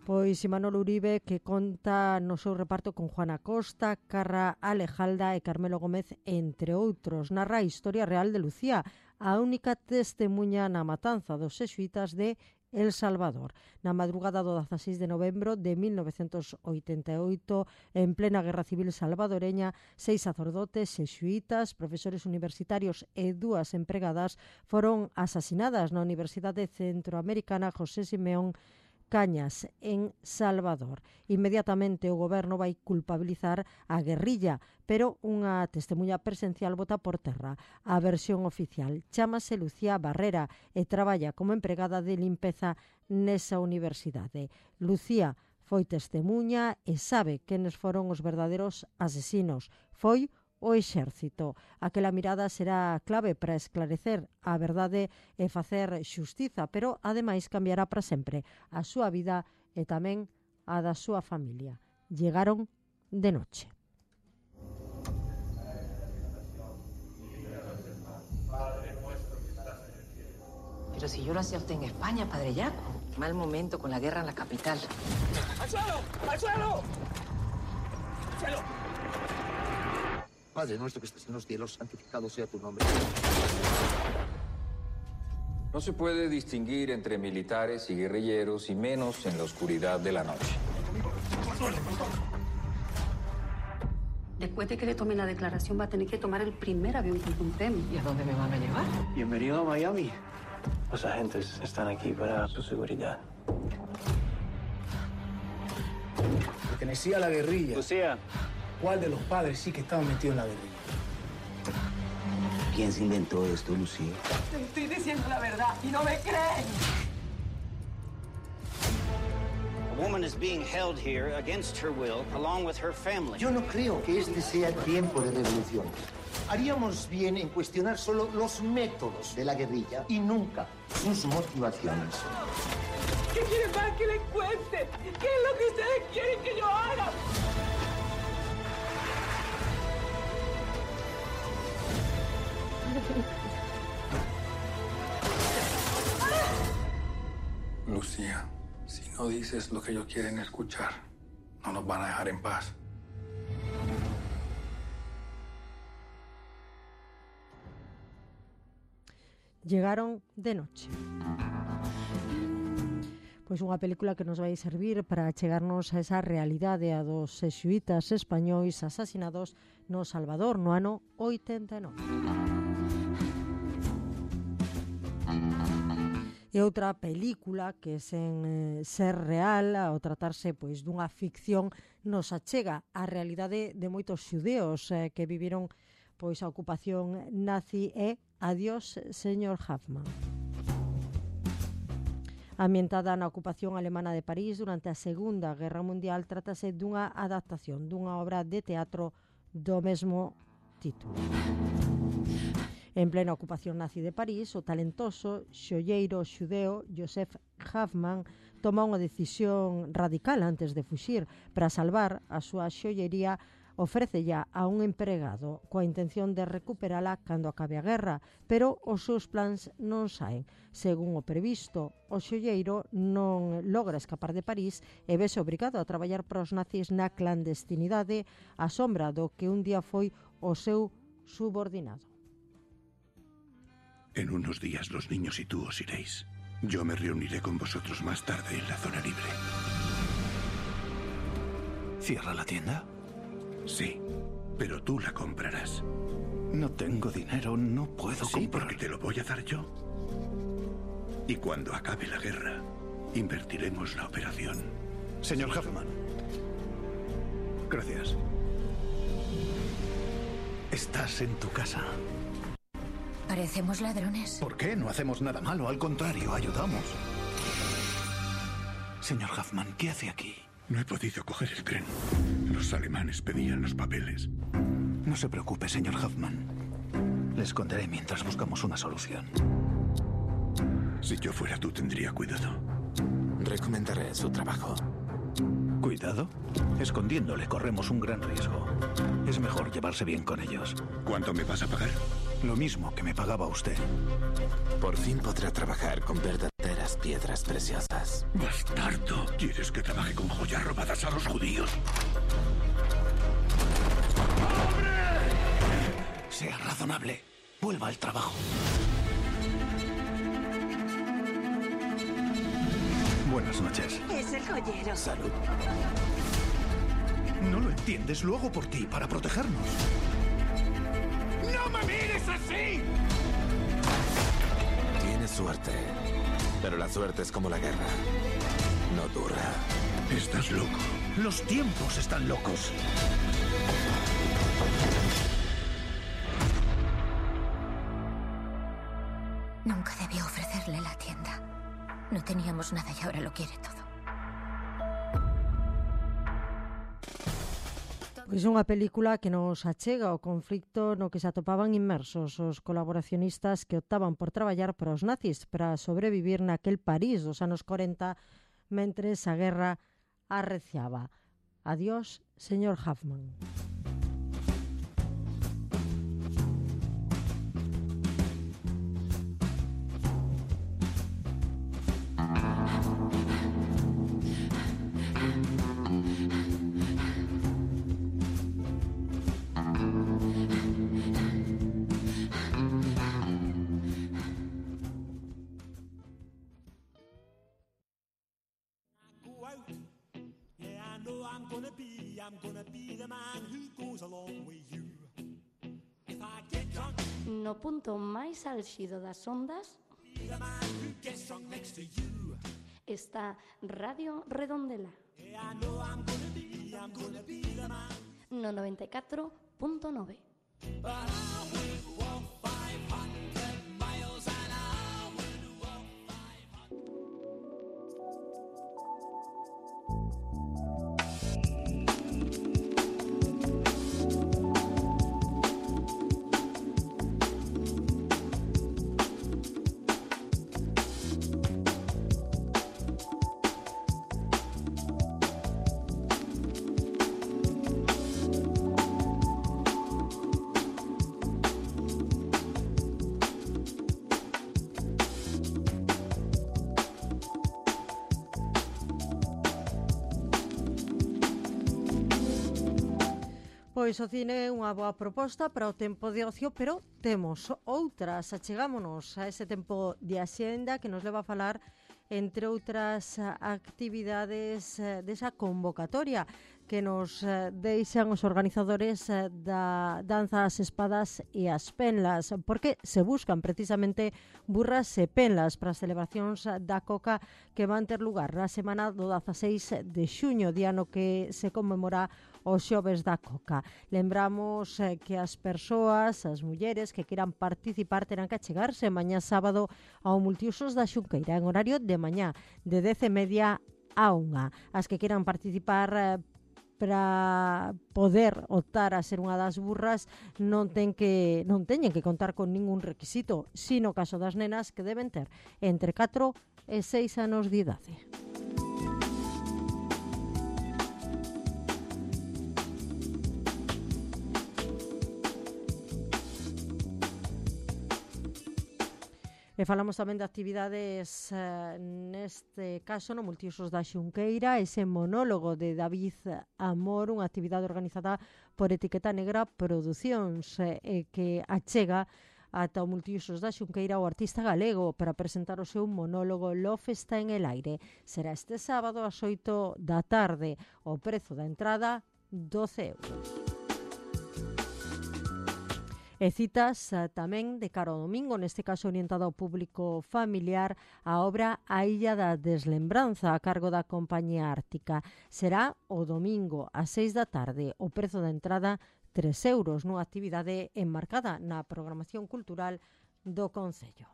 [SPEAKER 2] Pois Imanol Uribe, que conta no seu reparto con Juana Costa, Carra Alejalda e Carmelo Gómez, entre outros. Narra a historia real de Lucía, a única testemuña na matanza dos xesuítas de El Salvador. Na madrugada do dezaseis de novembro de mil novecentos oitenta e oito, en plena guerra civil salvadoreña, seis sacerdotes, xesuítas, profesores universitarios e dúas empregadas foron asasinadas na Universidade Centroamericana José Simeón Cañas, en Salvador. Inmediatamente o goberno vai culpabilizar a guerrilla, pero unha testemuña presencial bota por terra a versión oficial. Chámase Lucía Barrera e traballa como empregada de limpeza nesa universidade. Lucía foi testemuña e sabe quenes foron os verdadeiros asesinos. Foi o exército. Aquela mirada será clave para esclarecer a verdade e facer xustiza, pero ademais cambiará para sempre a súa vida e tamén a da súa familia. Llegaron de noche.
[SPEAKER 16] Pero si yo lo hacía usted en España, Padre Yaco. Mal momento con la guerra en la capital.
[SPEAKER 12] ¡Al suelo! ¡Al suelo! ¡Al suelo!
[SPEAKER 17] Padre nuestro que estás en los cielos, santificado sea tu nombre.
[SPEAKER 18] No se puede distinguir entre militares y guerrilleros, y menos en la oscuridad de la noche.
[SPEAKER 19] Después de que le tome la declaración, va a tener que tomar el primer avión que encontremos.
[SPEAKER 16] ¿Y a dónde me van a llevar?
[SPEAKER 20] Bienvenido a Miami. Los agentes están aquí para su seguridad.
[SPEAKER 21] Pertenecía a la guerrilla.
[SPEAKER 20] Lucía.
[SPEAKER 21] ¿Cuál de los padres sí que estaba metido en la guerrilla?
[SPEAKER 17] ¿Quién se inventó esto, Lucía?
[SPEAKER 16] Te estoy diciendo la verdad y no me creen.
[SPEAKER 22] A woman is being held here against her will, along with her family.
[SPEAKER 17] Yo no creo que este sea tiempo de revoluciones. Haríamos bien en cuestionar solo los métodos de la guerrilla y nunca sus motivaciones.
[SPEAKER 16] ¿Qué quieren más que les cuente? ¿Qué es lo que ustedes quieren que yo haga?
[SPEAKER 14] Lucía, si no dices lo que ellos quieren escuchar, no nos van a dejar en paz.
[SPEAKER 2] Llegaron de noche. Pois unha película que nos vai servir para chegarnos a esa realidade a dos xesuítas españois asasinados no Salvador no ano oitenta e nove. E outra película que sen eh, ser real, ao tratarse pois dunha ficción, nos achega a realidade de moitos xudeos eh, que viviron pois a ocupación nazi e Adiós, señor Hoffman. Ambientada na ocupación alemana de París durante a Segunda Guerra Mundial, trátase dunha adaptación dunha obra de teatro do mesmo título. En plena ocupación nazi de París, o talentoso xolleiro xudeo Joseph Hoffman toma unha decisión radical antes de fuxir para salvar a súa xollería ofrécella a un empregado coa intención de recuperala cando acabe a guerra, pero os seus plans non saen. Según o previsto, o xolleiro non logra escapar de París e vese obrigado a traballar para os nazis na clandestinidade á sombra do que un día foi o seu subordinado.
[SPEAKER 12] En unos días los niños y tú os iréis. Yo me reuniré con vosotros más tarde en la zona libre.
[SPEAKER 1] ¿Cierra la tienda?
[SPEAKER 12] Sí, pero tú la comprarás.
[SPEAKER 1] No tengo dinero, no puedo
[SPEAKER 12] Sí,
[SPEAKER 1] comprar.
[SPEAKER 12] porque te lo voy a dar yo. Y cuando acabe la guerra, invertiremos la operación.
[SPEAKER 1] Señor Huffman. Gracias. Estás en tu casa.
[SPEAKER 10] Parecemos ladrones.
[SPEAKER 1] ¿Por qué? No hacemos nada malo, al contrario, ayudamos. Señor Huffman, ¿qué hace aquí?
[SPEAKER 12] No he podido coger el tren. Los alemanes pedían los papeles.
[SPEAKER 1] No se preocupe, señor Huffman. Le esconderé mientras buscamos una solución.
[SPEAKER 12] Si yo fuera tú, tendría cuidado.
[SPEAKER 5] Recomendaré su trabajo.
[SPEAKER 1] ¿Cuidado? Escondiéndole corremos un gran riesgo. Es mejor llevarse bien con ellos.
[SPEAKER 12] ¿Cuánto me vas a pagar?
[SPEAKER 1] Lo mismo que me pagaba usted.
[SPEAKER 5] Por fin podrá trabajar con verdaderas piedras preciosas.
[SPEAKER 12] Bastardo. ¿Quieres que trabaje con joyas robadas a los judíos?
[SPEAKER 1] Sea razonable. Vuelva al trabajo. Buenas noches.
[SPEAKER 23] Es el joyero.
[SPEAKER 5] Salud.
[SPEAKER 1] No lo entiendes, lo hago por ti, para protegernos.
[SPEAKER 12] ¡No me mires así!
[SPEAKER 5] Tienes suerte. Pero la suerte es como la guerra. No dura.
[SPEAKER 12] Estás loco.
[SPEAKER 1] Los tiempos están locos.
[SPEAKER 10] Nunca debió ofrecerle la tienda. No teníamos nada y ahora lo quiere todo.
[SPEAKER 2] Pois unha película que nos achega o conflicto no que se atopaban inmersos os colaboracionistas que optaban por traballar para os nazis para sobrevivir naquel París dos anos corenta mentres a guerra arreciaba. Adiós, señor Huffman.
[SPEAKER 19] No punto máis álxido das ondas está Radio Redondela no noventa e catro punto nove. Pois o cine é unha boa proposta para o tempo de ocio, pero temos outras. Achegámonos a ese tempo de axenda que nos leva a falar, entre outras actividades, desa convocatoria que nos deixan os organizadores da Danza ás Espadas e as Penlas, porque se buscan precisamente burras e penlas para as celebracións da Coca que van ter lugar na semana do dezaseis de xuño, día no que se conmemora os xoves da Coca. Lembramos eh, que as persoas, as mulleres que queiran participar terán que achegarse mañá sábado ao Multiusos da Xunqueira en horario de mañá de dez e media a unha. As que queiran participar eh, para poder optar a ser unha das burras non ten que non teñen que contar con ningún requisito, sino caso das nenas que deben ter entre catro e seis anos de idade.
[SPEAKER 2] E falamos tamén de actividades, eh, neste caso, no Multiusos da Xunqueira, ese monólogo de David Amor, unha actividade organizada por Etiqueta Negra Producións, eh, que achega ata o Multiusos da Xunqueira o artista galego para presentar o seu monólogo Love está en el aire. Será este sábado ás oito da tarde. O prezo da entrada, doce euros. E citas uh, tamén de cara ao domingo, neste caso orientada ao público familiar, a obra A Illa da Deslembranza, a cargo da Compañía Ártica. Será o domingo ás seis da tarde. O prezo da entrada, tres euros, nunha actividade enmarcada na programación cultural do Concello.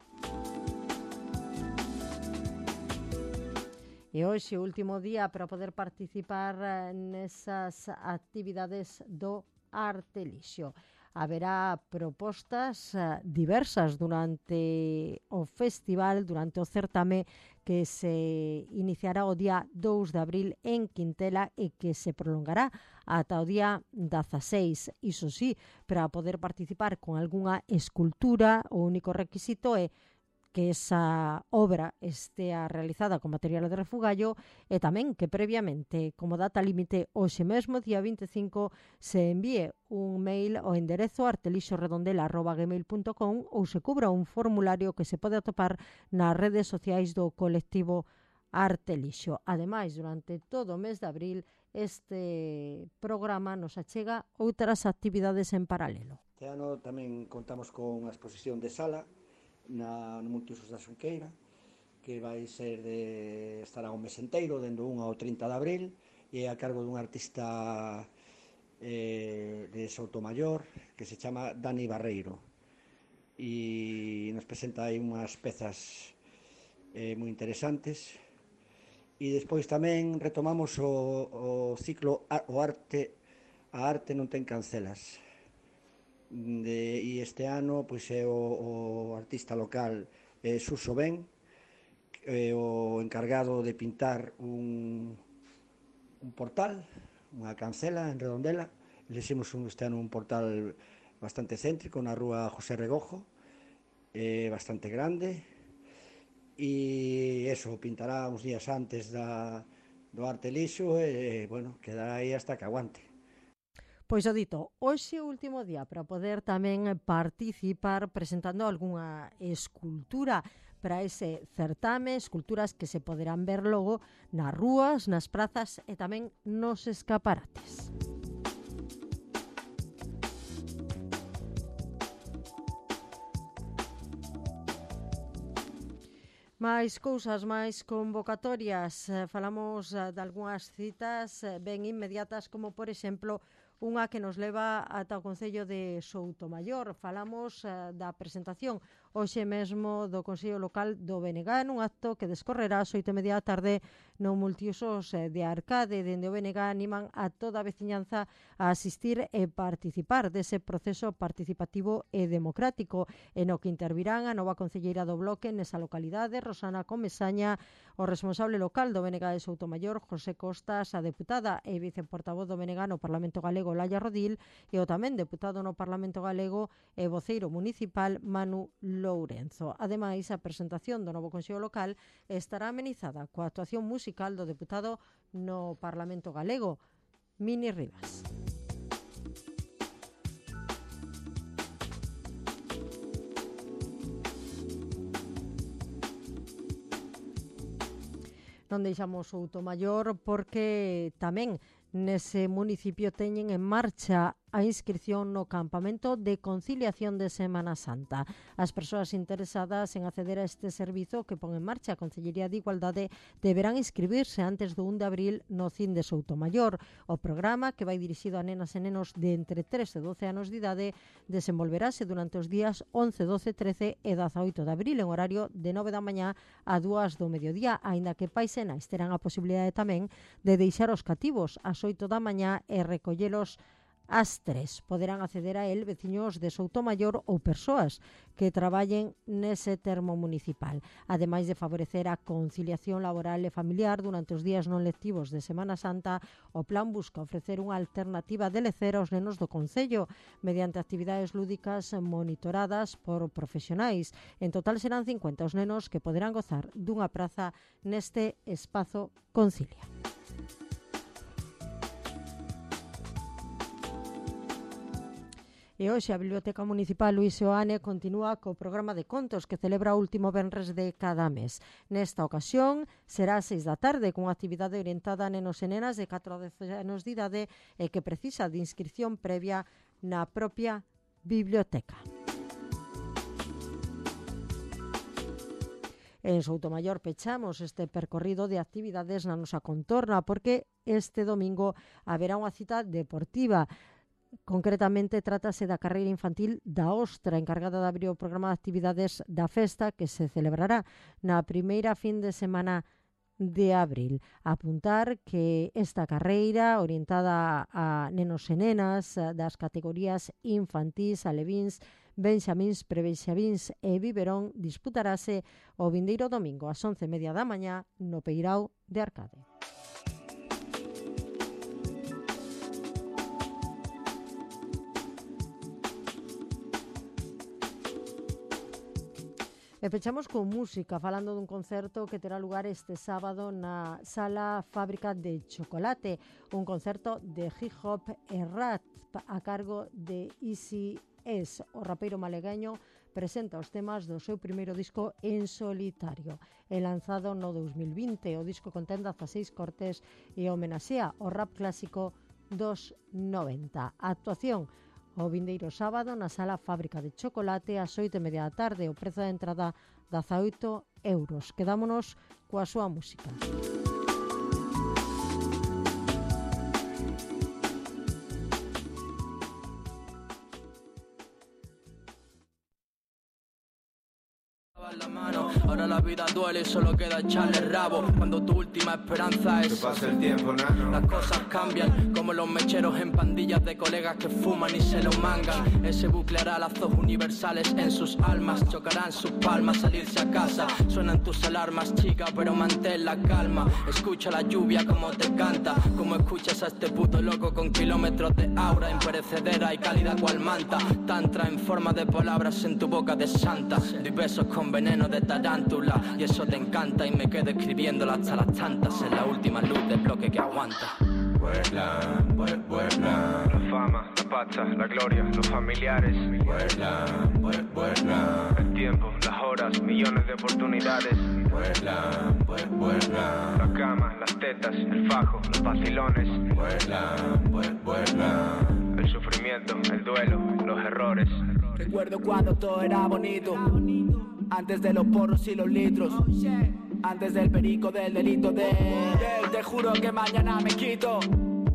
[SPEAKER 2] E hoxe, o último día para poder participar nesas actividades do Artelixo. Haberá propostas uh, diversas durante o festival, durante o certame que se iniciará o día dous de abril en Quintela e que se prolongará ata o día dezaseis. Iso sí, para poder participar con algunha escultura, o único requisito é que esa obra estea realizada con material de refugallo e tamén que previamente, como data límite, hoxe mesmo, día vinte e cinco, se envíe un mail ao enderezo artelixorredondela arroba gmail punto com ou se cubra un formulario que se pode atopar nas redes sociais do colectivo Artelixo. Ademais, durante todo o mes de abril, este programa nos achega outras actividades en paralelo.
[SPEAKER 4] Este ano tamén contamos con unha exposición de sala na, no Multiusos da Xunqueira, que vai ser de estará un mes enteiro, dende o un ao trinta de abril, e a cargo dun artista eh, de Soutomayor que se chama Dani Barreiro, e nos presenta aí unhas pezas eh, moi interesantes. E despois tamén retomamos o, o ciclo o arte a arte non ten cancelas. De, e este ano pois é o, o artista local eh, Suso Ben, eh, o encargado de pintar un, un portal, unha cancela en Redondela. Le hicimos un, este ano un portal bastante céntrico na rúa José Regojo, eh, bastante grande, e eso, pintará uns días antes da, do Artelixo e, bueno, quedará aí hasta que aguante.
[SPEAKER 2] Pois o dito, hoxe é o último día para poder tamén participar presentando algunha escultura para ese certame, esculturas que se poderán ver logo nas rúas, nas prazas e tamén nos escaparates. Máis cousas, máis convocatorias. Falamos de algunhas citas ben inmediatas, como por exemplo unha que nos leva ata o Concello de Soutomayor. Falamos uh, da presentación hoxe mesmo do Consello Local do B N G, nun acto que descorrerá ás oito e media da tarde no Multiusos de Arcade. Dende o B N G animan a toda a veciñanza a asistir e participar dese proceso participativo e democrático, en o que intervirán a nova concelleira do Bloque nesa localidade, Rosana Comesaña, o responsable local do B N G de Soutomayor, José Costas, a deputada e viceportavoz do B N G no Parlamento Galego, Laia Rodil, e o tamén deputado no Parlamento Galego e voceiro municipal, Manu Lourenzo. Ademais, a presentación do novo Consello Local estará amenizada coa actuación musical do deputado no Parlamento Galego, Mini Rivas. Non deixamos Soutomayor porque tamén nese municipio teñen en marcha a inscripción no campamento de conciliación de Semana Santa. As persoas interesadas en acceder a este servizo que pon en marcha a Concellería de Igualdade deberán inscribirse antes do un de abril no C I N de Soutomayor. O programa, que vai dirixido a nenas e nenos de entre tres e doce anos de idade, desenvolverase durante os días once, doce, trece e dezaoito de abril en horario de nove da mañá a dúas do mediodía, aínda que pais e nais terán a posibilidade tamén de deixar os cativos ás oito da mañá e recollelos ás tres. Poderán acceder a el veciños de Soutomaior ou persoas que traballen nese termo municipal. Ademais de favorecer a conciliación laboral e familiar durante os días non lectivos de Semana Santa, o plan busca ofrecer unha alternativa de lecer aos nenos do concello mediante actividades lúdicas monitoradas por profesionais. En total serán cincuenta os nenos que poderán gozar dunha praza neste espazo Concilia. E hoxe a Biblioteca Municipal Luís Seoane continúa co programa de contos que celebra o último venres de cada mes. Nesta ocasión será ás seis da tarde cunha actividade orientada a nenos e nenas de catro a dez anos de idade e que precisa de inscripción previa na propia biblioteca. En Soutomaior pechamos este percorrido de actividades na nosa contorna porque este domingo haberá unha cita deportiva. Concretamente, trátase da carreira infantil da Ostra, encargada de abrir o programa de actividades da festa que se celebrará na primeira fin de semana de abril. Apuntar que esta carreira, orientada a nenos e nenas das categorías infantís, alevíns, benxamíns, prebenxamíns e biberón, disputarase o vindeiro domingo ás once e media da mañá no Peirao de Arcade. E pechamos con música, falando dun concerto que terá lugar este sábado na Sala Fábrica de Chocolate, un concerto de hip hop e rap a cargo de Easy S. O rapeiro malegueño presenta os temas do seu primeiro disco en solitario. É lanzado no dos mil vinte, o disco contén dezaseis cortes e homenaxea o rap clásico dos noventa. A actuación o vindeiro sábado na Sala Fábrica de Chocolate ás oito e media da tarde. O prezo da entrada dezaoito euros. Quedámonos coa súa música.
[SPEAKER 3] La mano, ahora la vida duele y solo queda echarle rabo. Cuando tu última esperanza es que pase el tiempo, nano. Las cosas cambian, como los mecheros en pandillas de colegas que fuman y se lo mangan. Ese bucle hará lazos universales en sus almas. Chocarán sus palmas, salirse a casa. Suenan tus alarmas, chica, pero mantén la calma. Escucha la lluvia como te canta, como escuchas a este puto loco con kilómetros de aura imperecedera y cálida cual manta. Tantra en forma de palabras en tu boca de santa. Doy besos con veneno de tarántula y eso te encanta y me quedo escribiéndola hasta las tantas en la última luz del bloque que aguanta.
[SPEAKER 6] Puebla, Puebla, la fama, la pazza, la gloria, los familiares. Puebla, Puebla, el tiempo, las horas, millones de oportunidades. Puebla, Puebla, la cama, las tetas, el fajo, los vacilones. Puebla, Puebla, el sufrimiento, el duelo, los errores.
[SPEAKER 3] Recuerdo cuando todo era bonito, antes de los porros y los litros, antes del perico, del delito de él. Te juro que mañana me quito.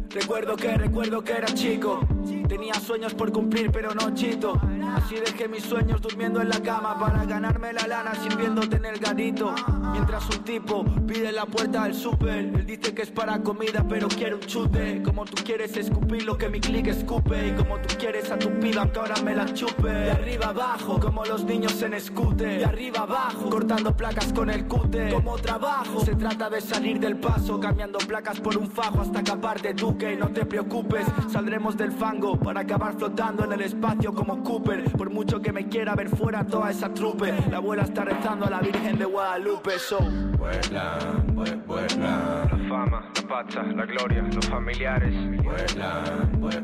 [SPEAKER 3] Recuerdo que, recuerdo que era chico, tenía sueños por cumplir pero no chito. Así dejé mis sueños durmiendo en la cama para ganarme la lana sirviéndote en el garito. Mientras un tipo pide la puerta del súper, él dice que es para comida pero quiere un chute. Como tú quieres escupir lo que mi click escupe, y como tú quieres a tu piba que ahora me la chupe. De arriba abajo, como los niños en scooter. De arriba abajo, cortando placas con el cúter. Como trabajo, se trata de salir del paso, cambiando placas por un fajo hasta acabar de duque. No te preocupes, saldremos del fango para acabar flotando en el espacio como Cooper. Por mucho que me quiera ver fuera toda esa trupe, la abuela está rezando a la Virgen de Guadalupe. So
[SPEAKER 6] Puebla, Puebla, la fama, la pazza, la gloria, los familiares. Puebla,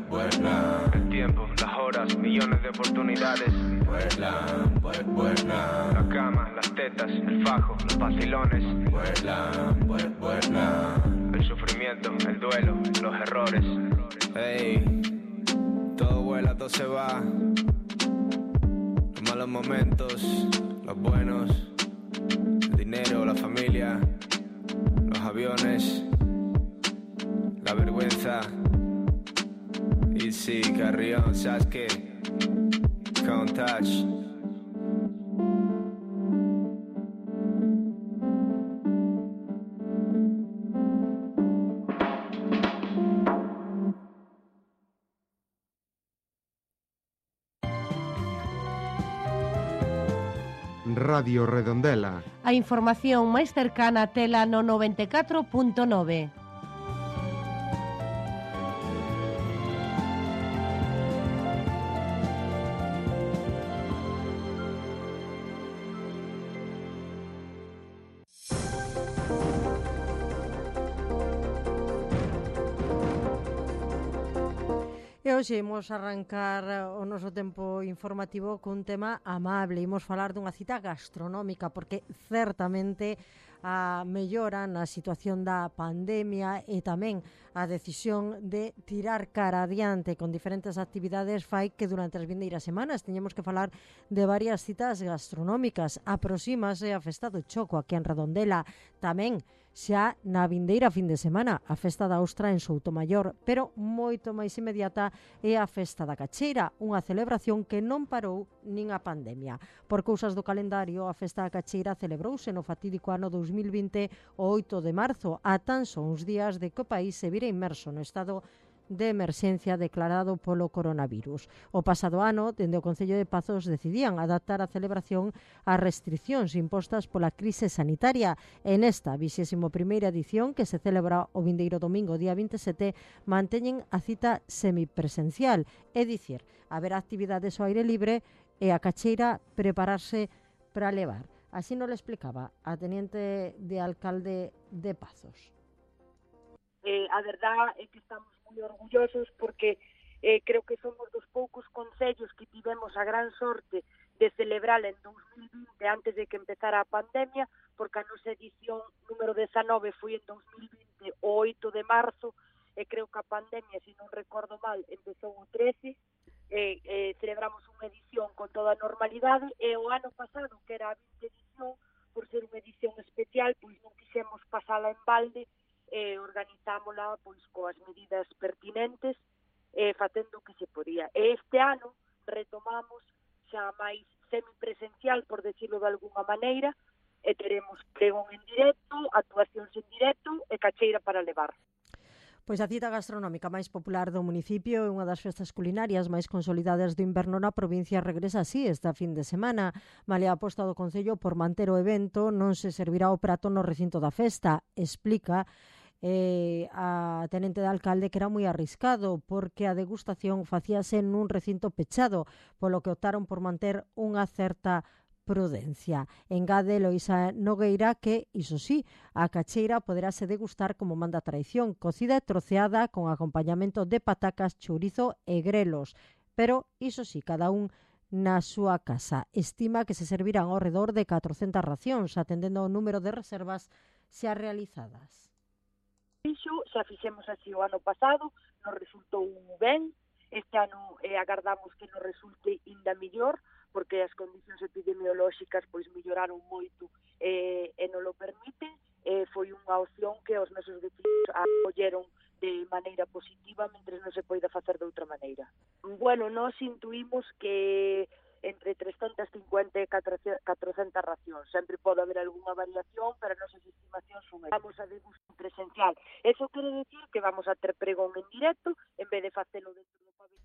[SPEAKER 6] Puebla, el tiempo, las horas, millones de oportunidades. Puebla, Puebla, la cama, las tetas, el fajo, los vacilones. Puebla, Puebla, el sufrimiento, el duelo, los errores.
[SPEAKER 23] Hey, todo vuela, todo se va. Los malos momentos, los buenos, el dinero, la familia, los aviones, la vergüenza. Y sí, Carrión, ¿sabes qué? Count touch.
[SPEAKER 7] Radio Redondela.
[SPEAKER 8] A información máis cercana tela no noventa e catro punto nove.
[SPEAKER 2] E hoxe imos arrancar o noso tempo informativo cun tema amable. Imos falar dunha cita gastronómica, porque certamente a mellora na situación da pandemia e tamén a decisión de tirar cara adiante con diferentes actividades fai que durante as vindeiras semanas teñemos que falar de varias citas gastronómicas. Aproxímase a Festa do Choco aquí en Redondela, tamén xa na vindeira fin de semana a Festa da Ostra en Soutomaior, pero moito máis inmediata é a Festa da Cacheira, unha celebración que non parou nin a pandemia. Por cousas do calendario, a Festa da Cacheira celebrouse no fatídico ano dous mil vinte o oito de marzo, a tan só uns días de que o país se vira inmerso no estado de emerxencia declarado polo coronavirus. O pasado ano, dende o Concello de Pazos, decidían adaptar a celebración ás restricións impostas pola crise sanitaria. En esta vixésimo primeira edición, que se celebra o vindeiro domingo, día vinte e sete, manteñen a cita semipresencial, é dicir, haber actividades ao aire libre e a cacheira prepararse para levar. Así nos lo explicaba a teniente de alcalde de Pazos.
[SPEAKER 11] Eh, a verdad é que estamos moi orgullosos porque eh, creo que somos dos poucos concellos que tivemos a gran sorte de celebrar en dous mil vinte antes de que empezara a pandemia, porque a nosa edición número dezanove foi en dous mil vinte o oito de marzo e creo que a pandemia, se non recordo mal, empezou o trece, e eh, celebramos unha edición con toda a normalidade e o ano pasado, que era a vinte edición, por ser unha edición especial, pois non quixemos pasala en balde e organizámola pois coas medidas pertinentes e facendo o que se podía. E este ano retomamos xa máis semipresencial, por decirlo de alguna maneira, e teremos pregón en directo, actuacións en directo e cacheira para levar.
[SPEAKER 2] Pois a cita gastronómica máis popular do municipio e unha das festas culinarias máis consolidadas do inverno na provincia regresa así esta fin de semana. Malia a aposta do Concello por manter o evento, non se servirá o prato no recinto da festa, explica eh, a tenente de alcalde que era moi arriscado porque a degustación facíase nun recinto pechado, polo que optaron por manter unha certa prudencia. Engade Loisa Nogueira que, iso sí, a cacheira poderase degustar como manda a tradición, cocida e troceada con acompañamento de patacas, chourizo e grelos. Pero, iso sí, cada un na súa casa. Estima que se servirán ao redor de catrocentas racións, atendendo ao número de reservas xa realizadas.
[SPEAKER 11] Iso xa fixemos así o ano pasado, nos resultou ben. Este ano eh, agardamos que nos resulte ainda mellor, porque as condicións epidemiolóxicas pois melloraron moito eh, e non lo permiten. Eh, foi unha opción que os nosos vecinos acolleron de maneira positiva, mentre non se poida facer de outra maneira. Bueno, nós intuímos que entre trescentas cincuenta e catrocentas racións. Sempre pode haber algunha variación, pero as nosas estimacións son aí. Vamos a degustación presencial. Eso quere decir que vamos a ter pregón en directo, en vez de facelo dentro do pabellón.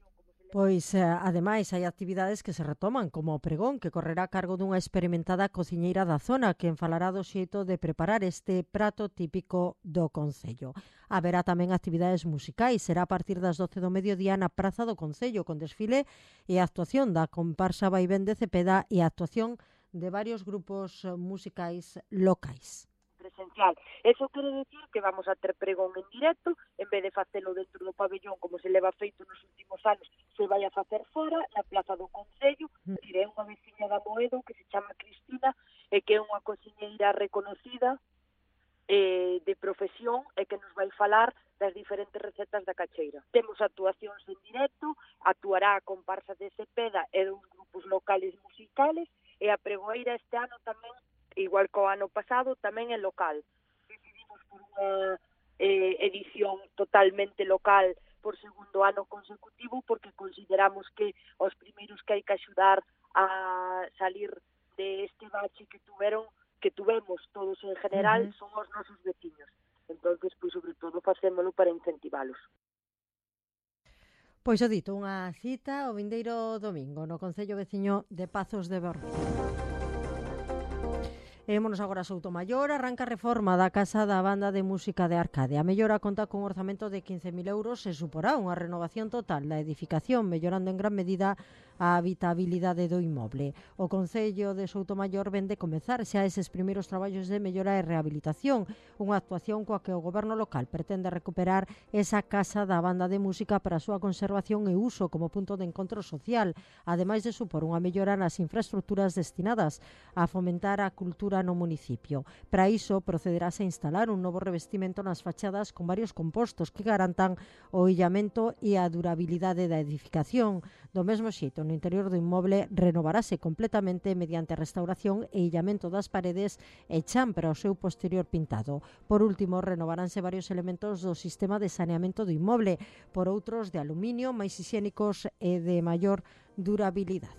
[SPEAKER 2] Pois, eh, ademais, hai actividades que se retoman, como o pregón, que correrá a cargo dunha experimentada cociñeira da zona, que falará do xeito de preparar este prato típico do Concello. Haberá tamén actividades musicais, será a partir das doce do mediodía na Praza do Concello, con desfile e actuación da comparsa Vaivén de Cepeda e a actuación de varios grupos musicais locais.
[SPEAKER 11] Presencial. Eso quere decir que vamos a ter pregón en directo, en vez de facelo dentro do pabellón como se leva feito nos últimos anos, se vai a facer fora, na Plaza do Concello. Diré unha veciña da Moedo que se chama Cristina e que é unha cociñeira reconocida eh, de profesión e que nos vai falar das diferentes recetas da cacheira. Temos actuacións en directo, actuará a comparsa de Cepeda e dos grupos locales musicales e a pregoeira este ano tamén, igual que o ano pasado, tamén é local. Decidimos por unha eh, edición totalmente local por segundo ano consecutivo porque consideramos que os primeiros que hai que axudar a salir de este bache que tuveron, que tuvemos todos en general, uh-huh. son os nosos veciños. Entonces, pois, sobre todo, facémolo para incentivalos.
[SPEAKER 2] Pois o dito, unha cita o vindeiro domingo no Concello Veciño de Pazos de Bermúdez. Émonos agora a Soutomaior, arranca a reforma da Casa da Banda de Música de Arcade. A mellora conta con un orzamento de quince mil euros e suporá unha renovación total da edificación, mellorando en gran medida a habitabilidade do inmoble. O Concello de Soutomaior vende comezar xa eses primeiros traballos de mellora e rehabilitación, unha actuación coa que o goberno local pretende recuperar esa Casa da Banda de Música para a súa conservación e uso como punto de encontro social, ademais de supor unha mellora nas infraestructuras destinadas a fomentar a cultura no municipio. Para iso, procederase a instalar un novo revestimento nas fachadas con varios compostos que garantan o illamento e a durabilidade da edificación. Do mesmo xeito, no interior do inmoble renovarase completamente mediante a restauración e illamento das paredes e chan para o seu posterior pintado. Por último, renovaránse varios elementos do sistema de saneamento do inmoble por outros de aluminio, máis hixiénicos e de maior durabilidade.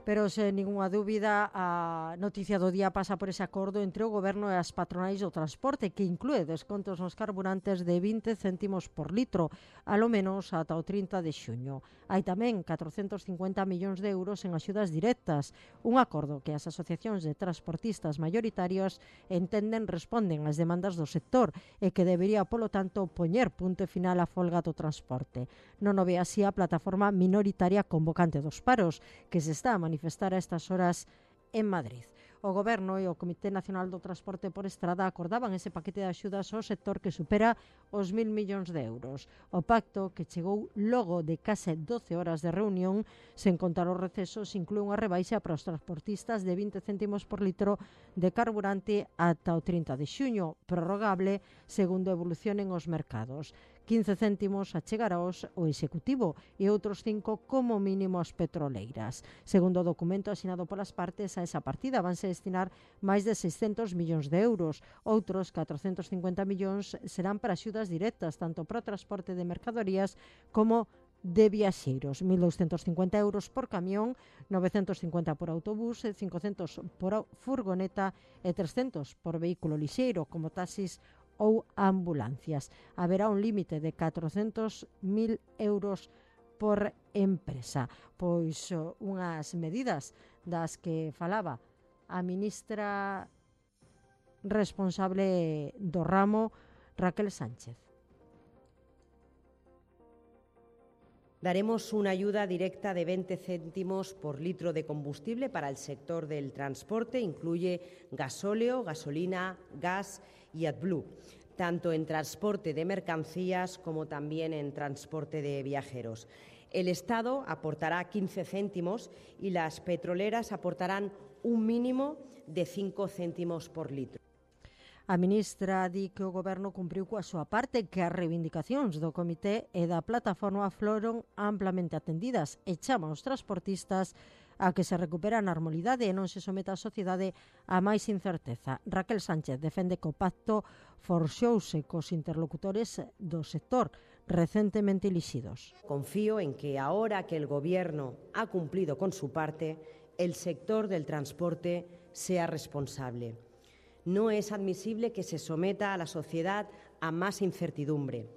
[SPEAKER 2] Pero, sen ningunha dúbida, a noticia do día pasa por ese acordo entre o Goberno e as patronais do transporte, que inclúe descontos nos carburantes de vinte céntimos por litro, alo menos ata o trinta de xuño. Hai tamén catrocentos cincuenta millóns de euros en axudas directas, un acordo que as asociacións de transportistas maioritarios entenden responden ás demandas do sector e que debería, polo tanto, poñer punto final á folga do transporte. Non o ve así a plataforma minoritaria convocante dos paros, que se está a manifestar a estas horas en Madrid. O Goberno e o Comité Nacional do Transporte por Estrada acordaban ese paquete de axudas ao sector que supera os mil millóns de euros. O pacto, que chegou logo de case doce horas de reunión, sen contar os recesos, inclúe unha rebaixa para os transportistas de vinte céntimos por litro de carburante ata o trinta de xuño, prorrogable segundo evolucionen os mercados. quince céntimos achegarás o Executivo e outros cinco como mínimo as petroleiras. Segundo o documento asinado polas partes, a esa partida vanse destinar máis de seiscentos millóns de euros. Outros catrocentos cincuenta millóns serán para axudas directas, tanto para o transporte de mercadorías como de viaxeiros, mil douscentos cincuenta euros por camión, novecentos cincuenta por autobús, cincocentos por furgoneta e trescentos por vehículo lixeiro, como taxis ou ambulancias. Haberá un límite de catrocentos mil euros por empresa. Pois unhas medidas das que falaba a ministra responsable do ramo, Raquel Sánchez.
[SPEAKER 7] Daremos una ayuda directa de veinte céntimos por litro de combustible para el sector del transporte. Incluye gasóleo, gasolina, gas y AdBlue, tanto en transporte de mercancías como también en transporte de viajeros. El Estado aportará quince céntimos y las petroleras aportarán un mínimo de cinco céntimos por litro.
[SPEAKER 2] A ministra di que o Goberno cumpriu coa súa parte, que as reivindicacións do Comité e da plataforma foron amplamente atendidas e chama aos transportistas a que se recupere a normalidade e non se someta a sociedade a máis incerteza. Raquel Sánchez defende que o pacto forxouse cos interlocutores do sector recentemente elixidos.
[SPEAKER 7] Confío en que ahora que el Gobierno ha cumplido con su parte, el sector del transporte sea responsable. No es admisible que se someta a la sociedad a más incertidumbre.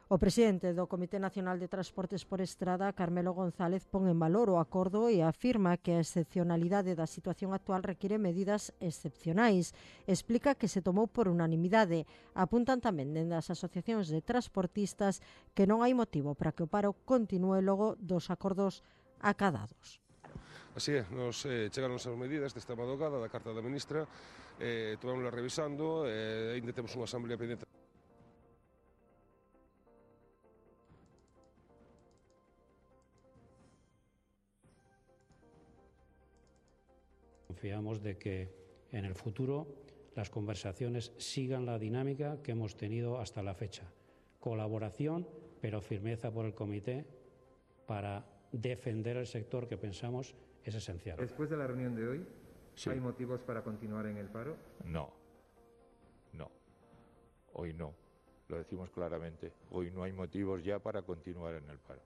[SPEAKER 2] O presidente do Comité Nacional de Transportes por Estrada, Carmelo González, pon en valor o acordo e afirma que a excepcionalidade da situación actual require medidas excepcionais. Explica que se tomou por unanimidade. Apuntan tamén dende as asociacións de transportistas que non hai motivo para que o paro continúe logo dos acordos acadados.
[SPEAKER 9] Así é, nos eh, chegaron as medidas desta madrugada da carta da ministra, eh, tomámosla revisando, e eh, ainda temos unha asamblea pendente.
[SPEAKER 15] Confiamos de que en el futuro las conversaciones sigan la dinámica que hemos tenido hasta la fecha. Colaboración, pero firmeza por el comité para defender el sector que pensamos es esencial.
[SPEAKER 24] Después de la reunión de hoy,
[SPEAKER 15] sí.
[SPEAKER 24] ¿hay motivos para continuar en el paro?
[SPEAKER 25] No, no, hoy no, lo decimos claramente, hoy no hay motivos ya para continuar en el paro.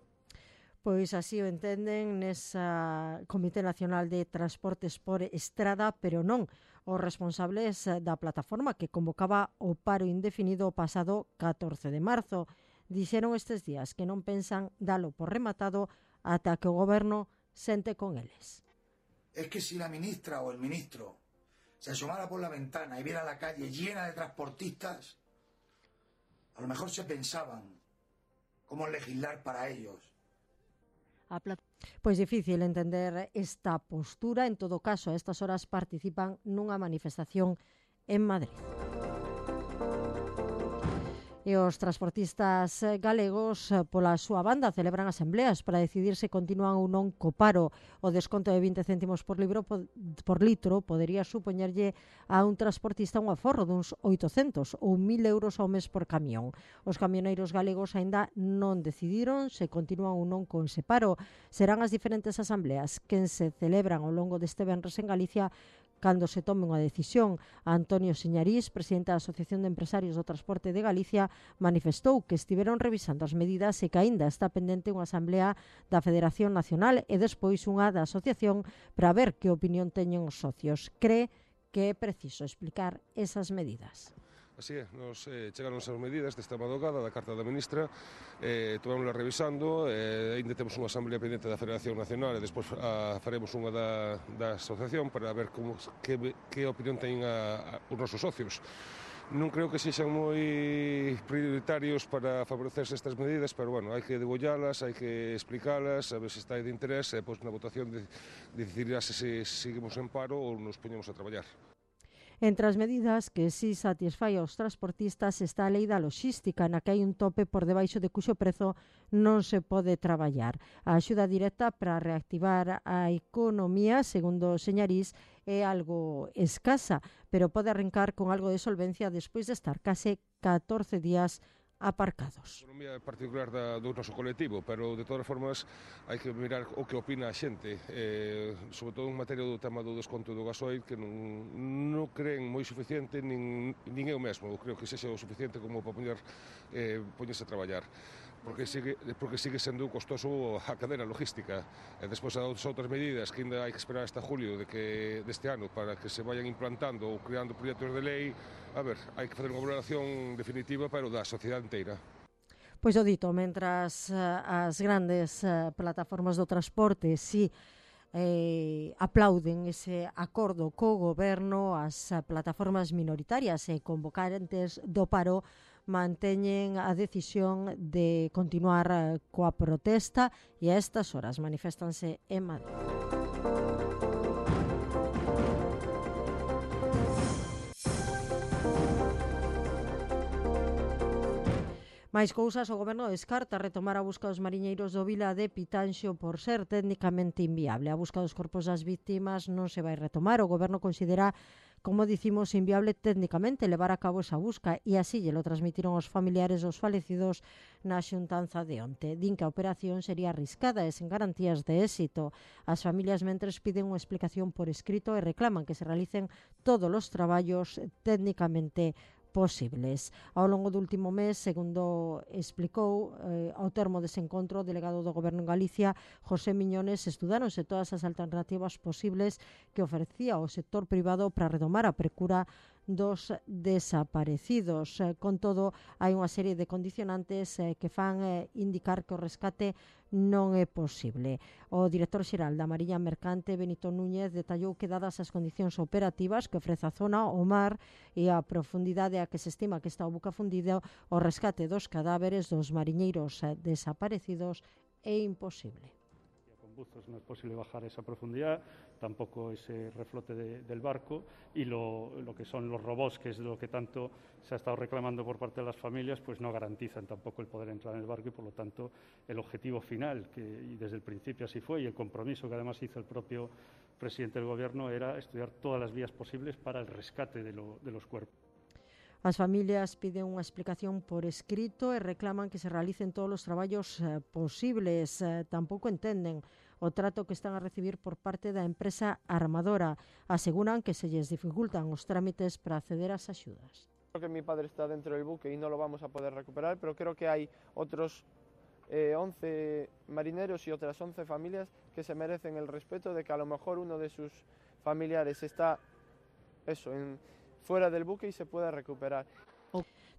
[SPEAKER 2] Pois así o entenden nesa Comité Nacional de Transportes por Estrada, pero non os responsables da plataforma que convocaba o paro indefinido o pasado catorce de marzo. Dixeron estes días que non pensan dalo por rematado ata que o goberno sente con eles.
[SPEAKER 13] Es que si la ministra o el ministro se asomara por la ventana y viera la calle llena de transportistas, a lo mejor se pensaban cómo legislar para ellos.
[SPEAKER 2] Pois difícil entender esta postura. En todo caso, a estas horas participan nunha manifestación en Madrid. E os transportistas galegos, pola súa banda, celebran asembleas para decidir se continúan ou non co paro. O desconto de vinte céntimos por, libro, por litro podería supoñerlle a un transportista un aforro duns oitocentos ou mil euros ao mes por camión. Os camioneiros galegos aínda non decidiron se continúan ou non con ese paro. Serán as diferentes asambleas que se celebran ao longo deste venres en Galicia cando se tome unha decisión. Antonio Señarís, presidente da Asociación de Empresarios do Transporte de Galicia, manifestou que estiveron revisando as medidas e que aínda está pendente unha asamblea da Federación Nacional e despois unha da Asociación para ver que opinión teñen os socios. Cree que é preciso explicar esas medidas.
[SPEAKER 9] Así é, nos eh, chegaron as medidas desta madrugada da Carta da Ministra, eh, tomámosla revisando, eh, ainda temos unha asamblea pendente da Federación Nacional e despois a, faremos unha da, da Asociación para ver como, que, que opinión teñen a, a, os nosos socios. Non creo que sexan moi prioritarios para favorecerse estas medidas, pero bueno, hai que degollalas, hai que explicalas, a ver se está de interés, e pois na votación de, decidirá se, se seguimos en paro ou nos poñemos a traballar.
[SPEAKER 2] Entre as medidas que si satisfai aos transportistas está a lei da loxística, na que hai un tope por debaixo de cuxo prezo non se pode traballar. A axuda directa para reactivar a economía, segundo Señarís, é algo escasa, pero pode arrancar con algo de solvencia despois de estar case catorce días aparcados.
[SPEAKER 9] A economía particular da, do noso colectivo, pero de todas formas hai que mirar o que opina a xente, eh, sobre todo en materia do tema do desconto do gasoil, que non, non creen moi suficiente, nin, nin eu mesmo, creo que sexa o suficiente como para poñer, eh, poñerse a traballar. Porque sigue, porque sigue sendo costoso a cadena logística. E despois as outras medidas que ainda hai que esperar hasta julio de que, deste ano para que se vayan implantando ou creando proxectos de lei, a ver, hai que fazer unha valoración definitiva, pero da sociedade inteira.
[SPEAKER 2] Pois o dito, mentras as grandes plataformas do transporte si eh, aplauden ese acordo co goberno, as plataformas minoritarias e convocantes do paro manteñen a decisión de continuar coa protesta e a estas horas maniféstanse en Madrid. Mais cousas, o goberno descarta retomar a busca dos mariñeiros do Vila de Pitanxo por ser técnicamente inviable. A busca dos corpos das vítimas non se vai retomar. O goberno considera, como dicimos, inviable técnicamente levar a cabo esa busca e así lle lo transmitiron os familiares dos falecidos na xuntanza de onte. Din que a operación sería arriscada e sen garantías de éxito. As familias mentres piden unha explicación por escrito e reclaman que se realicen todos os traballos técnicamente posibles. Ao longo do último mes, segundo explicou eh, ao termo dese encontro o delegado do Goberno en Galicia, José Miñones, estudáronse todas as alternativas posibles que ofrecía o sector privado para retomar a procura dos desaparecidos. Eh, con todo, hai unha serie de condicionantes eh, que fan eh, indicar que o rescate non é posible. O director xeral da Mariña Mercante, Benito Núñez, detallou que dadas as condicións operativas que ofrece a zona, o mar e a profundidade a que se estima que está o buque fundido, o rescate dos cadáveres dos mariñeiros eh, desaparecidos é imposible.
[SPEAKER 18] Con buzos no es posible bajar esa profundidad, tampoco ese reflote de, del barco y lo, lo que son los robots, que es lo que tanto se ha estado reclamando por parte de las familias, pues no garantizan tampoco el poder entrar en el barco y por lo tanto el objetivo final, que y desde el principio así fue y el compromiso que además hizo el propio presidente del Gobierno era estudiar todas las vías posibles para el rescate de, lo, de los cuerpos.
[SPEAKER 2] As familias piden unha explicación por escrito e reclaman que se realicen todos os traballos eh, posibles. Eh, tampouco entenden o trato que están a recibir por parte da empresa armadora. Aseguran que se lles dificultan os trámites para acceder ás axudas.
[SPEAKER 20] Creo que mi padre está dentro del buque y no lo vamos a poder recuperar, pero creo que hay otros eh, once marineros y otras once familias que se merecen el respeto de que a lo mejor uno de sus familiares está eso, en, fuera del buque y se pueda recuperar.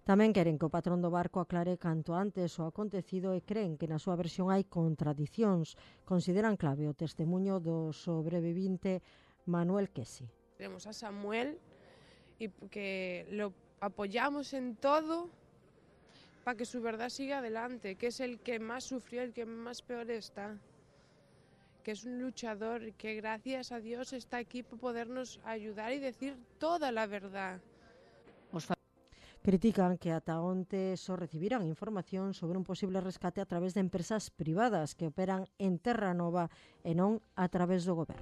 [SPEAKER 2] Tamén queren que o patrón do barco aclare canto antes o acontecido e creen que na súa versión hai contradicións. Consideran clave o testemunho do sobrevivinte Manuel Quesi.
[SPEAKER 14] Tenemos a Samuel y que lo apoyamos en todo para que su verdad siga adelante, que es el que más sufrió, el que más peor está, que es un luchador y que gracias a Dios está aquí para podernos ayudar y decir toda la verdad.
[SPEAKER 2] Critican que ata onte só recibiran información sobre un posible rescate a través de empresas privadas que operan en Terra Nova e non a través do goberno.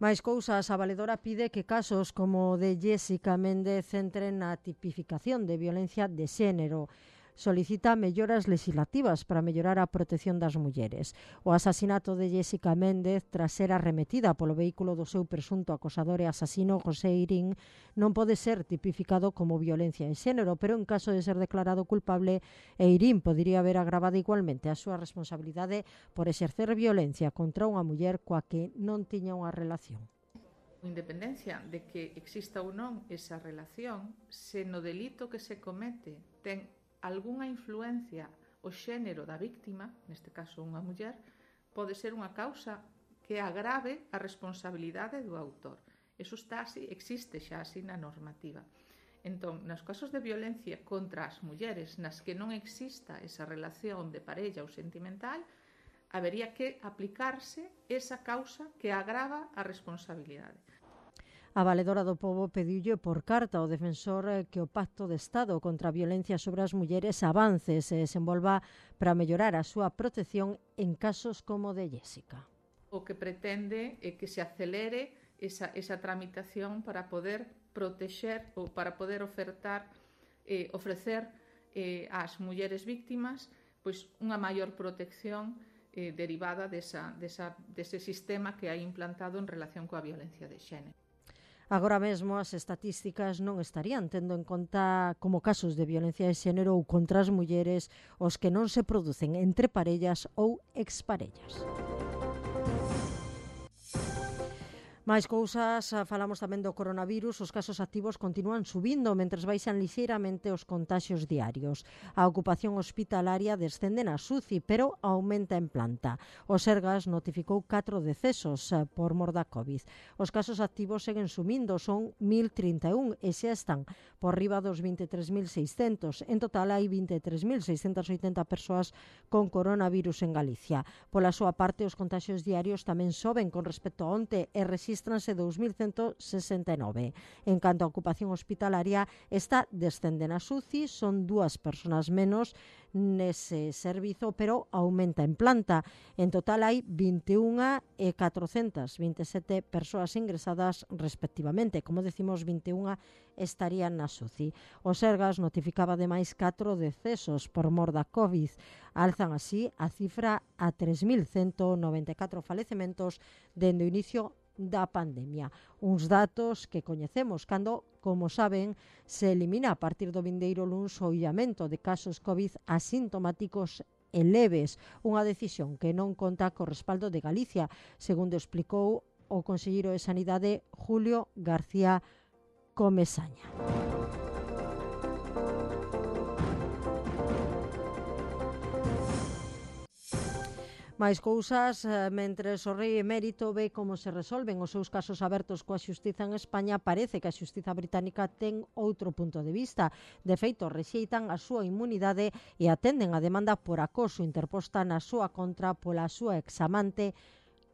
[SPEAKER 2] Mais cousas, a valedora pide que casos como o de Jéssica Méndez entren na tipificación de violencia de xénero. Solicita melloras legislativas para mellorar a protección das mulleres. O asasinato de Jéssica Méndez, tras ser arremetida polo vehículo do seu presunto acosador e asasino José Irín, non pode ser tipificado como violencia de xénero, pero en caso de ser declarado culpable, Irín podería haber agravado igualmente a súa responsabilidade por exercer violencia contra unha muller coa que non tiña unha relación.
[SPEAKER 16] Independencia de que exista ou non esa relación, se no delito que se comete ten algunha influencia o xénero da víctima, neste caso unha muller, pode ser unha causa que agrave a responsabilidade do autor. Eso está así, existe xa así na normativa. Entón, nos casos de violencia contra as mulleres nas que non exista esa relación de parella ou sentimental, habería que aplicarse esa causa que agrava a responsabilidade.
[SPEAKER 2] A valedora do pobo pediulle por carta ao defensor que o Pacto de Estado contra a violencia sobre as mulleres avance e se desenvolva para mellorar a súa protección en casos como o de Jéssica.
[SPEAKER 16] O que pretende é que se acelere esa, esa tramitación para poder protexer ou para poder ofertar, eh, ofrecer eh, ás mulleres víctimas pois unha maior protección eh, derivada desa, desa, dese sistema que hai implantado en relación coa violencia de xénero.
[SPEAKER 2] Agora mesmo as estatísticas non estarían tendo en conta como casos de violencia de xénero ou contra as mulleres os que non se producen entre parellas ou exparellas. Mais cousas, falamos tamén do coronavirus, os casos activos continúan subindo mentres baixan lixeiramente os contaxios diarios. A ocupación hospitalaria descende na S U C I, pero aumenta en planta. O Sergas notificou catro decesos por mor da COVID. Os casos activos seguen subindo, son mil trinta e un e xa están por riba dos vinte e tres mil seiscentos. En total hai vinte e tres mil seiscentas oitenta persoas con coronavirus en Galicia. Pola súa parte, os contaxios diarios tamén soben con respecto a onte e resisten dous mil cento sesenta e nove. En canto a ocupación hospitalaria, está descende na S U C I, son dúas persoas menos nese servizo, pero aumenta en planta. En total hai vinte e unha e catrocentas vinte e sete persoas ingresadas respectivamente. Como decimos, vinte e unha estarían na S U C I. O Sergas notificaba ademais catro decesos por mor da COVID. Alzan así a cifra a tres mil cento noventa e catro falecementos dende o inicio da pandemia. Uns datos que coñecemos cando, como saben, se elimina a partir do vindeiro luns o illamento de casos COVID asintomáticos e leves, unha decisión que non conta co respaldo de Galicia, segundo explicou o conselleiro de Sanidade Julio García Comesaña. Mais cousas, mentres o rei emérito ve como se resolven os seus casos abertos coa xustiza en España, parece que a xustiza británica ten outro punto de vista. De feito, rexeitan a súa inmunidade e atenden a demanda por acoso interposta na súa contra pola súa examante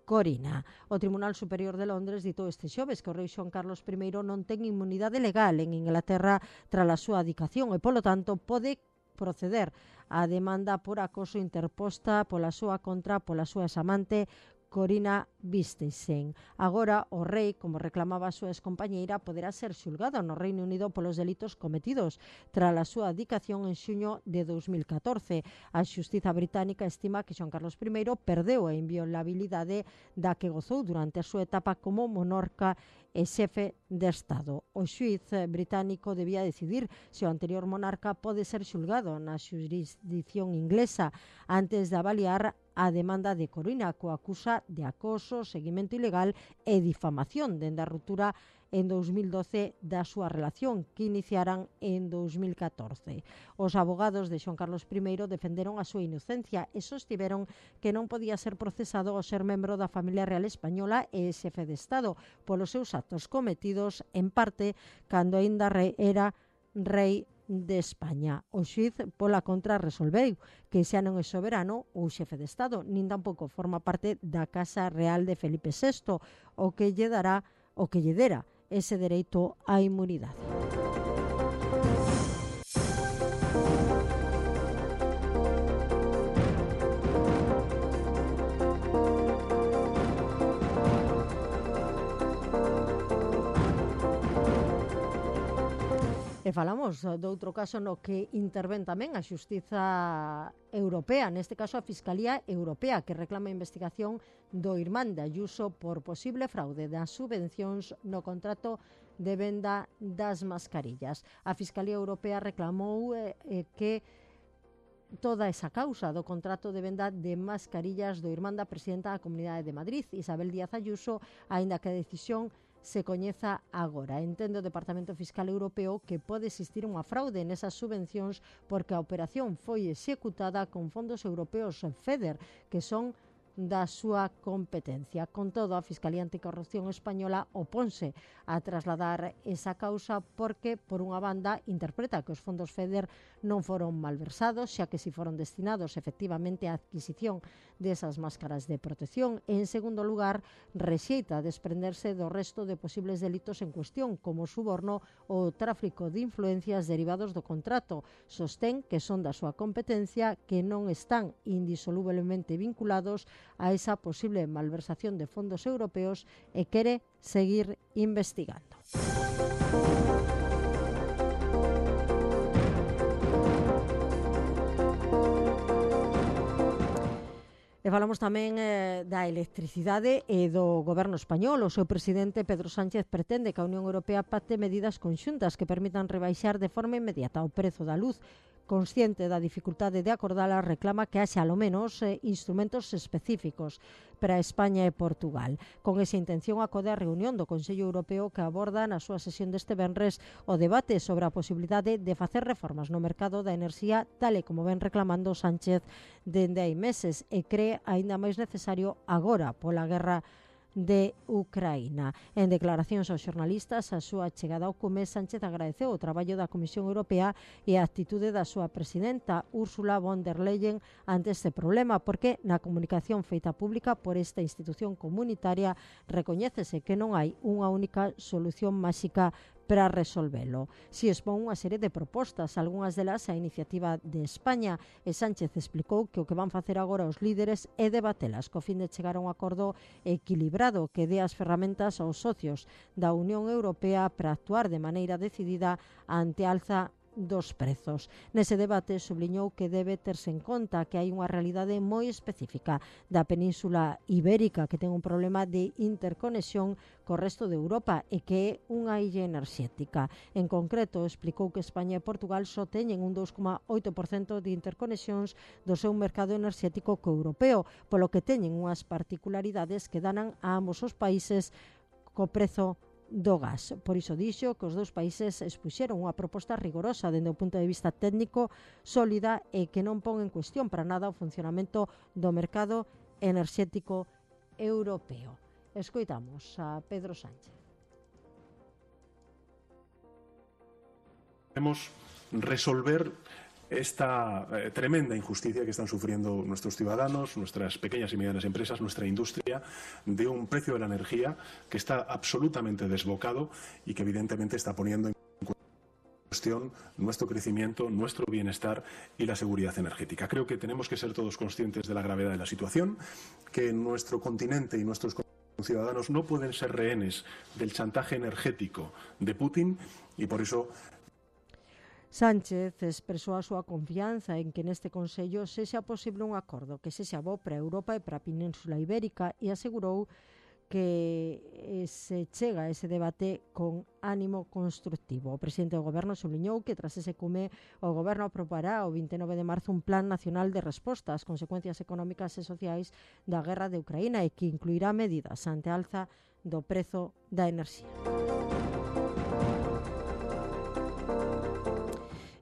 [SPEAKER 2] Corina. O Tribunal Superior de Londres ditou este xoves que o rei Xoán Carlos primeiro non ten inmunidade legal en Inglaterra tras a súa adicación e, polo tanto, pode proceder a demanda por acoso interposta pola súa contra pola súa examante Corina Vistisen. Agora, o rei, como reclamaba a súa excompañeira, poderá ser xulgado no Reino Unido polos delitos cometidos tras a súa adicación en xuño de dos mil catorce. A xustiza británica estima que Xoán Carlos primeiro perdeu a inviolabilidade da que gozou durante a súa etapa como monarca e xefe de Estado. O xuíz británico debía decidir se o anterior monarca pode ser xulgado na xurisdición inglesa antes de avaliar a demanda de Coruña, coa acusa de acoso, seguimento ilegal e difamación dende a ruptura en dos mil doce da súa relación que iniciaran en dos mil catorce. Os abogados de Xoán Carlos primeiro defenderon a súa inocencia e sostiveron que non podía ser procesado ao ser membro da familia real española e xefe de Estado polos seus actos cometidos en parte cando aínda era rei de España. O xuíz pola contra resolveu que xa non é soberano ou xefe de Estado, nin tampouco forma parte da Casa Real de Felipe sexto, o que lle dará o que lle dera ese dereito á inmunidade. E falamos de outro caso no que intervén tamén a Xustiza Europea, neste caso a Fiscalía Europea, que reclama a investigación do irmán de Ayuso por posible fraude das subvencións no contrato de venda das mascarillas. A Fiscalía Europea reclamou eh, que toda esa causa do contrato de venda de mascarillas do irmán da presidenta da Comunidade de Madrid, Isabel Díaz Ayuso, aínda que a decisión se coñeza agora. Entende o Departamento Fiscal Europeo que pode existir unha fraude nesas subvencións porque a operación foi executada con fondos europeos FEDER, que son da súa competencia. Con todo, a Fiscalía Anticorrupción Española oponse a trasladar esa causa porque, por unha banda, interpreta que os fondos FEDER non foron malversados, xa que si foron destinados efectivamente á adquisición desas máscaras de protección. E, en segundo lugar, rexeita desprenderse do resto de posibles delitos en cuestión, como o suborno ou o tráfico de influencias derivados do contrato. Sostén que son da súa competencia, que non están indisolublemente vinculados a esa posible malversación de fondos europeos e quere seguir investigando. E falamos tamén eh, da electricidade e do goberno español. O seu presidente Pedro Sánchez pretende que a Unión Europea pacte medidas conxuntas que permitan rebaixar de forma inmediata o prezo da luz. Consciente da dificultade de acordala, reclama que haxa, ao menos, eh, instrumentos específicos para España e Portugal. Con esa intención, acode a reunión do Consello Europeo que aborda na súa sesión deste venres o debate sobre a posibilidade de facer reformas no mercado da enerxía, tal e como ven reclamando Sánchez dende hai meses, e cree aínda máis necesario agora pola guerra de Ucraína. En declaracións aos xornalistas, a súa chegada ao Cume, Sánchez agradeceu o traballo da Comisión Europea e a actitude da súa presidenta, Ursula von der Leyen, ante este problema, porque na comunicación feita pública por esta institución comunitaria recoñécese que non hai unha única solución máxica para resolvelo. Si expón unha serie de propostas, algunhas delas a iniciativa de España, e Sánchez explicou que o que van facer agora os líderes é debatelas co fin de chegar a un acordo equilibrado que dé as ferramentas aos socios da Unión Europea para actuar de maneira decidida ante a alza dos prezos. Nese debate subliñou que debe terse en conta que hai unha realidade moi específica da Península Ibérica que ten un problema de interconexión co resto de Europa e que é unha illa enerxética. En concreto, explicou que España e Portugal só teñen un dous coma oito por cento de interconexións do seu mercado enerxético co europeo, polo que teñen unhas particularidades que danan a ambos os países co prezo do gas. Por iso dixo que os dous países expuxeron unha proposta rigorosa dende o punto de vista técnico, sólida e que non pon en cuestión para nada o funcionamento do mercado enerxético europeo. Escoitamos a Pedro Sánchez.
[SPEAKER 5] Queremos resolver esta eh, tremenda injusticia que están sufriendo nuestros ciudadanos, nuestras pequeñas y medianas empresas, nuestra industria, de un precio de la energía que está absolutamente desbocado y que evidentemente está poniendo en cuestión nuestro crecimiento, nuestro bienestar y la seguridad energética. Creo que tenemos que ser todos conscientes de la gravedad de la situación, que nuestro continente y nuestros ciudadanos no pueden ser rehenes del chantaje energético de Putin y por eso
[SPEAKER 2] Sánchez expresou a súa confianza en que neste Consello sexa posible un acordo que sexa bo para a Europa e para a Península Ibérica e asegurou que se chega a ese debate con ánimo constructivo. O presidente do Goberno subliñou que tras ese cume o Goberno aprobará o vinte e nove de marzo un plan nacional de resposta ás consecuencias económicas e sociais da guerra de Ucraína e que incluirá medidas ante a alza do prezo da enerxía.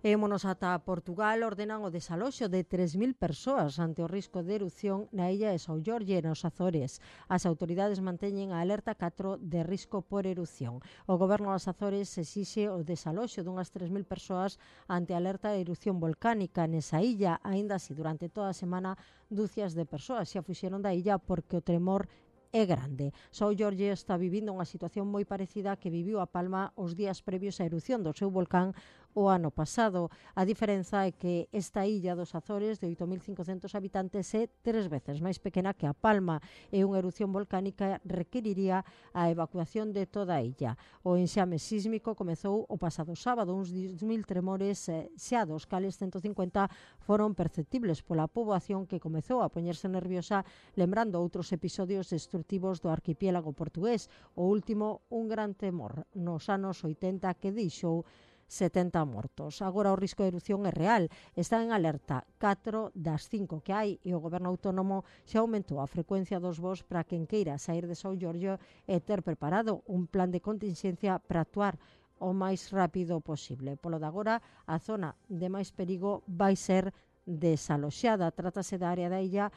[SPEAKER 2] Émonos ata Portugal, ordenan o desaloxo de tres mil persoas ante o risco de erupción na illa de São Jorge e nos Azores. As autoridades manteñen a alerta catro de risco por erupción. O Goberno das Azores exixe o desaloxo dunhas tres mil persoas ante a alerta de erupción volcánica nesa illa. Aínda así, durante toda a semana, dúcias de persoas xa fuxeron da illa porque o tremor é grande. São Jorge está vivindo unha situación moi parecida a que viviu a Palma os días previos á erupción do seu volcán o ano pasado. A diferenza é que esta illa dos Azores de oito mil cincocentos habitantes é tres veces máis pequena que a Palma e unha erupción volcánica requeriría a evacuación de toda a illa. O enxame sísmico comezou o pasado sábado, uns dez mil tremores xa dos cales ciento cincuenta foron perceptibles pola poboación que comezou a poñerse nerviosa lembrando outros episodios destructivos do arquipiélago portugués. O último, un gran temor nos anos oitenta que deixou setenta mortos. Agora o risco de erupción é real. Está en alerta catro das cinco que hai e o Goberno autónomo xa aumentou a frecuencia dos voos para quen queira sair de São Jorge e ter preparado un plan de contingencia para actuar o máis rápido posible. Polo de agora, a zona de máis perigo vai ser desaloxada. Trátase da área da illa,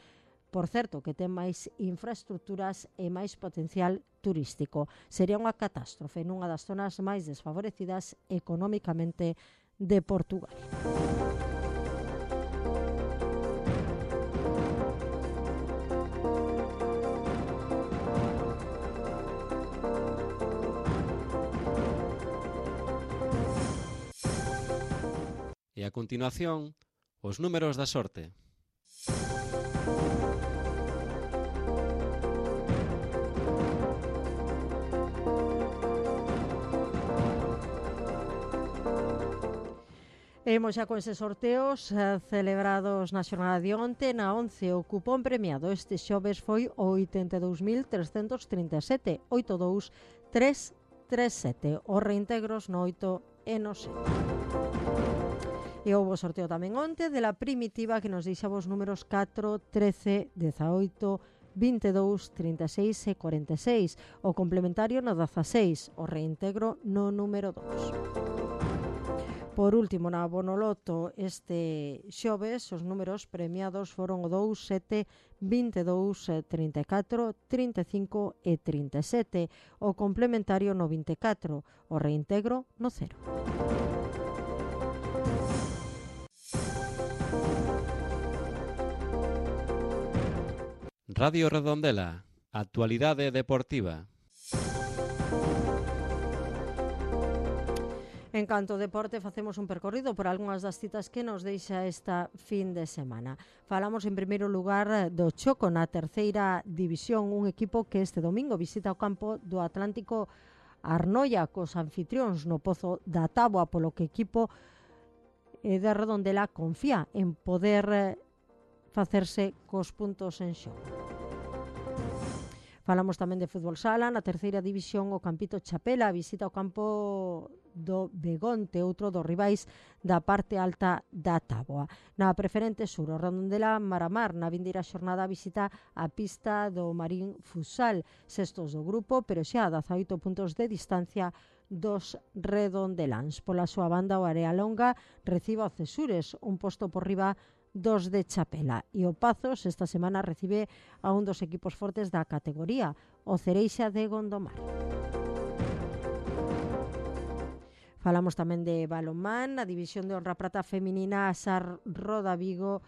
[SPEAKER 2] por certo, que ten máis infraestructuras e máis potencial turístico. Sería unha catástrofe nunha das zonas máis desfavorecidas económicamente de Portugal.
[SPEAKER 1] E a continuación, os números da sorte.
[SPEAKER 2] Imos xa con eses sorteos eh, celebrados na xornada de onte. Na once, o cupón premiado este xoves foi o oitenta e dous mil trescentos trinta e sete, oitenta e dous mil trescentos trinta e sete. Os reintegros no oito e no sete. E houve sorteo tamén onte de la primitiva que nos deixaba os números catro, trece, dezaoito, vinte e dous, trinta e seis e cuarenta e seis. O complementario no dezaseis, o reintegro no número dous. Por último, na Bonoloto este xoves, os números premiados foron o dous, sete, vinte e dous, trinta e catro, trinta e cinco e trinta e sete. O complementario no vinte e catro, o reintegro no cero.
[SPEAKER 1] Radio Redondela, actualidade deportiva.
[SPEAKER 2] En canto ao deporte, facemos un percorrido por algunhas das citas que nos deixa esta fin de semana. Falamos en primeiro lugar do choco na terceira división, un equipo que este domingo visita o campo do Atlántico Arnoia cos anfitrións no Pozo da Táboa, polo que o equipo de Redondela confía en poder facerse cos puntos en xogo. Falamos tamén de fútbol sala. Na terceira división, o Campito Chapela visita o campo do Begonte, outro dos rivais da parte alta da Táboa. Na preferente sur, o Redondela Maramar na vindeira xornada visita a pista do Marín Futsal, sextos do grupo, pero xa a dezaoito puntos de distancia dos redondeláns. Pola súa banda, o Arealonga recibe o Cesures, un posto por riba dos de Chapela, e o Pazos esta semana recibe a un dos equipos fortes da categoría, o Cereixa de Gondomar. Falamos tamén de balonmán. Na división de honra prata feminina, a Sar Roda Vigo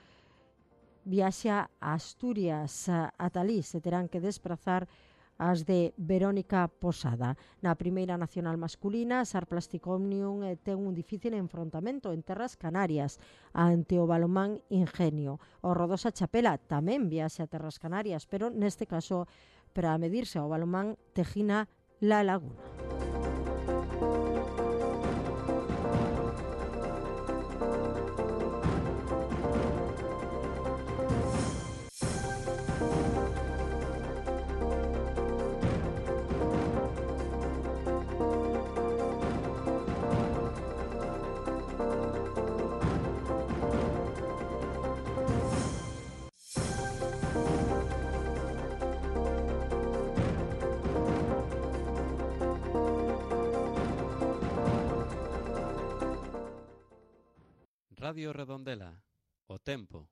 [SPEAKER 2] viaxa a Asturias. A Talí se terán que desprazar as de Verónica Posada. Na primeira nacional masculina, Sar Plastic Omnium ten un difícil enfrontamento en terras canarias ante o balonmán Ingenio. O Rodosa Chapela tamén viaxe a terras canarias, pero neste caso para medirse ao balonmán Tejina La Laguna.
[SPEAKER 1] Radio Redondela. O tempo.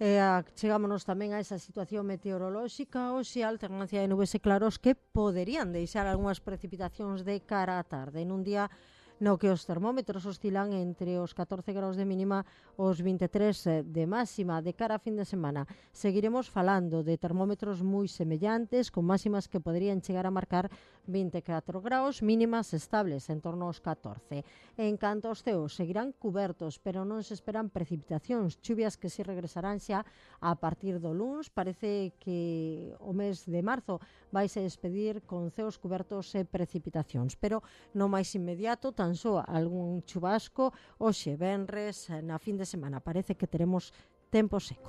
[SPEAKER 2] E a, chegámonos tamén a esa situación meteorolóxica, hoxe a alternancia de nubes e claros que poderían deixar algunhas precipitacións de cara á tarde. Nun día no que os termómetros oscilan entre os catorce graus de mínima os vinte e tres de máxima. De cara a fin de semana seguiremos falando de termómetros moi semellantes, con máximas que poderían chegar a marcar vinte e catro graus, mínimas estables en torno aos catorce. En canto aos ceos, seguirán cubertos, pero non se esperan precipitacións, chuvias que si regresarán xa a partir do luns. Parece que o mes de marzo vaise despedir con ceos cubertos e precipitacións, pero no máis inmediato, tan só algún chubasco. Hoxe, venres, na fin de semana, parece que teremos tempo seco.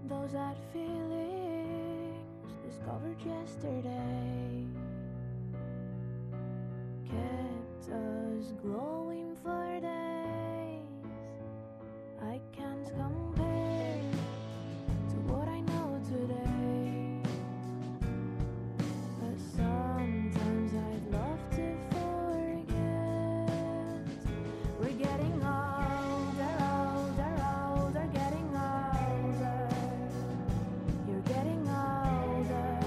[SPEAKER 10] Those odd feelings discovered yesterday kept us glowing for days. I can't compare to what I know today, but sometimes I'd love to forget. We're getting older, older, older, getting older. You're getting older.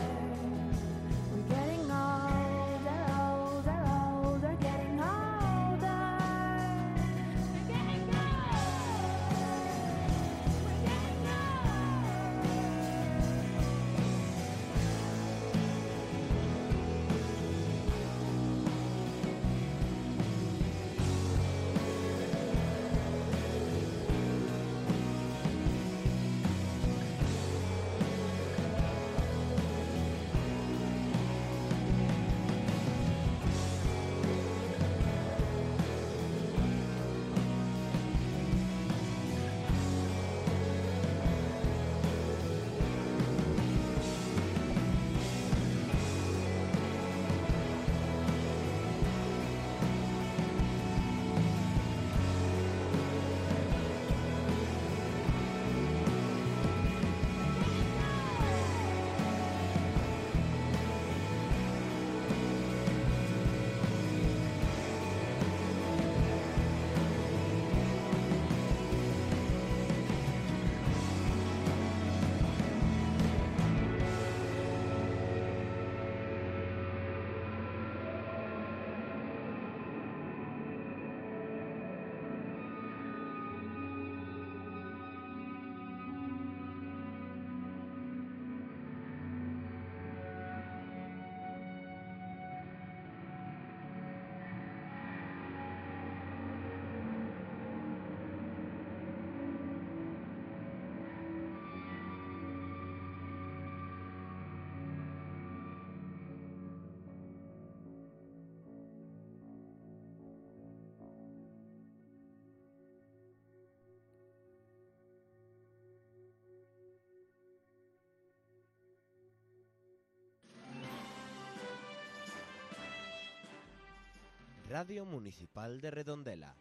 [SPEAKER 12] Radio Municipal de Redondela,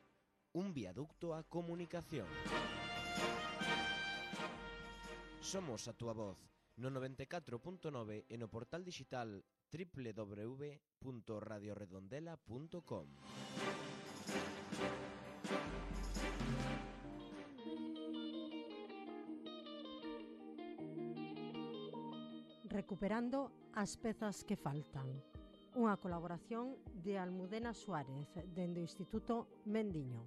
[SPEAKER 12] un viaducto a comunicación. Somos a túa voz no noventa e catro punto nove e no portal digital doble u doble u doble u punto radio redondela punto com.
[SPEAKER 2] Recuperando as pezas que faltan. Unha colaboración de Almudena Suárez, dende o Instituto Mendiño.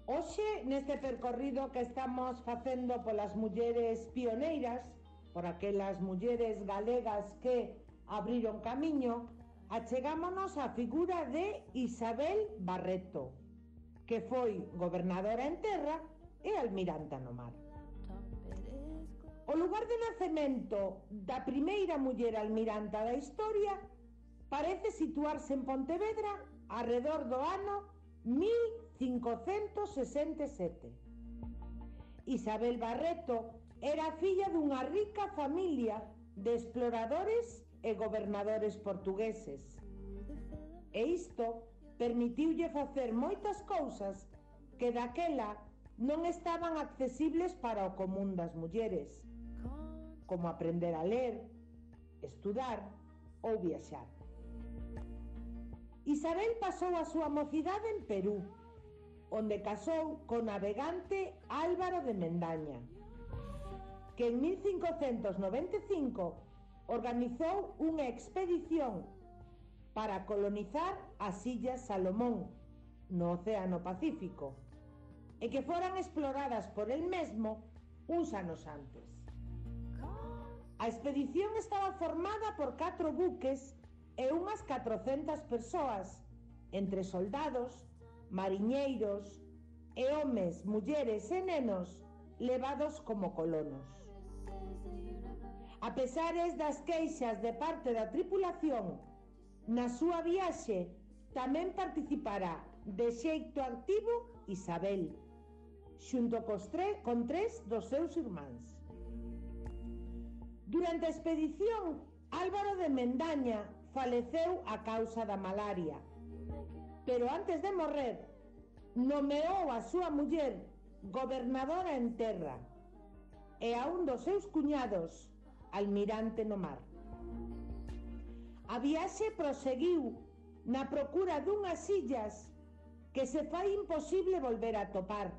[SPEAKER 17] Hoxe, neste percorrido que estamos facendo polas mulleres pioneiras, por aquelas mulleres galegas que abriron camiño, achegámonos á figura de Isabel Barreto, que foi gobernadora en terra e almiranta no mar. O lugar de nacemento da primeira muller almiranta da historia parece situarse en Pontevedra arredor do ano mil cincocentos sesenta e sete. Isabel Barreto era filla dunha rica familia de exploradores e gobernadores portugueses. E isto permitiulle facer moitas cousas que daquela non estaban accesibles para o común das mulleres, como aprender a ler, estudar ou viaxar. Isabel pasou a súa mocidade en Perú, onde casou co navegante Álvaro de Mendaña, que en mil cincocentos noventa e cinco organizou unha expedición para colonizar as Illas Salomón, no Océano Pacífico, e que foran exploradas por el mesmo uns anos antes. A expedición estaba formada por catro buques e unhas catrocentas persoas, entre soldados, mariñeiros e homes, mulleres e nenos levados como colonos. A pesares das queixas de parte da tripulación, na súa viaxe tamén participará de xeito activo Isabel, xunto cos tre con tres dos seus irmáns. Durante a expedición, Álvaro de Mendaña faleceu a causa da malaria, pero antes de morrer, nomeou a súa muller gobernadora en terra e a un dos seus cuñados almirante no mar. A viaxe proseguiu na procura dunhas illas que se fai imposible volver a topar,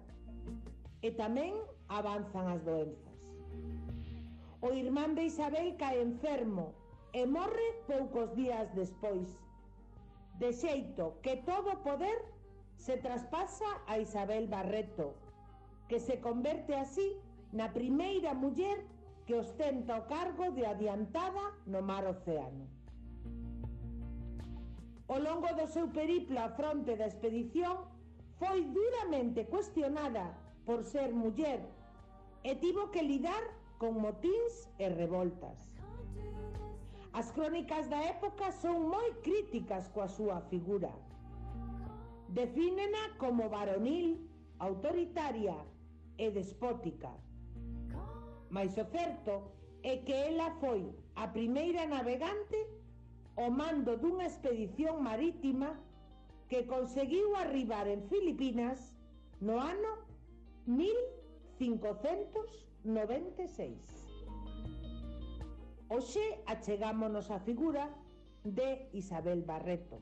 [SPEAKER 17] e tamén avanzan as doenzas. O irmán de Isabel cae enfermo e morre poucos días despois, de xeito que todo o poder se traspasa a Isabel Barreto, que se converte así na primeira muller que ostenta o cargo de adiantada no mar océano. Ao longo do seu periplo á fronte da expedición, foi duramente cuestionada por ser muller e tivo que lidar con motíns e revoltas. As crónicas da época son moi críticas coa súa figura. Defínena como varonil, autoritaria e despótica. Mais o certo é que ela foi a primeira navegante ao mando dunha expedición marítima que conseguiu arribar en Filipinas no ano mil cincocentos noventa e seis. Hoxe achegámonos á figura de Isabel Barreto.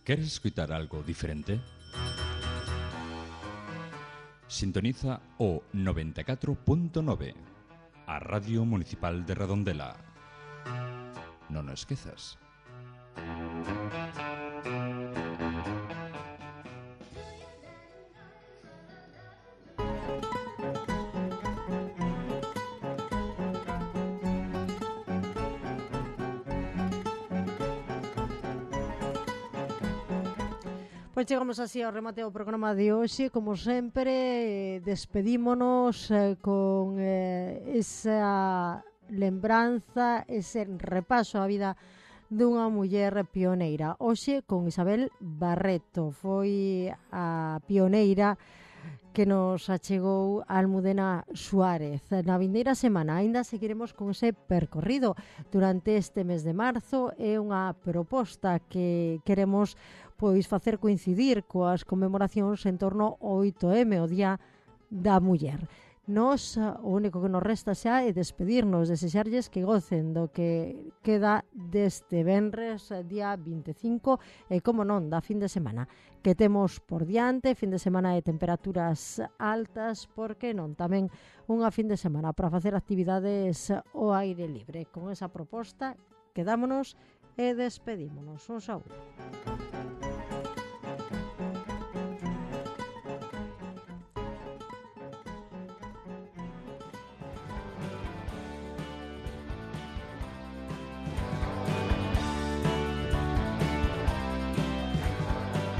[SPEAKER 19] ¿Quieres escuchar algo diferente? Sintoniza o noventa e catro punto nove, a Radio Municipal de Redondela. Non o esquezas.
[SPEAKER 2] Pois chegamos así ao remate do programa de hoxe, como sempre, despedímonos eh, con eh, esa lembranza, ese repaso á vida dunha muller pioneira. Hoxe con Isabel Barreto, foi a pioneira que nos achegou a Almudena Suárez. Na vindeira semana aínda seguiremos con ese percorrido durante este mes de marzo. É unha proposta que queremos pois facer coincidir coas conmemoracións en torno ao oito eme, o Día da Muller. Nos, o único que nos resta xa é despedirnos, desexarlles que gocen do que queda deste venres, día vinte e cinco, e como non, da fin de semana que temos por diante, fin de semana de temperaturas altas, porque non, tamén unha fin de semana para facer actividades ao aire libre. Con esa proposta, quedámonos e despedímonos. Un saúdo.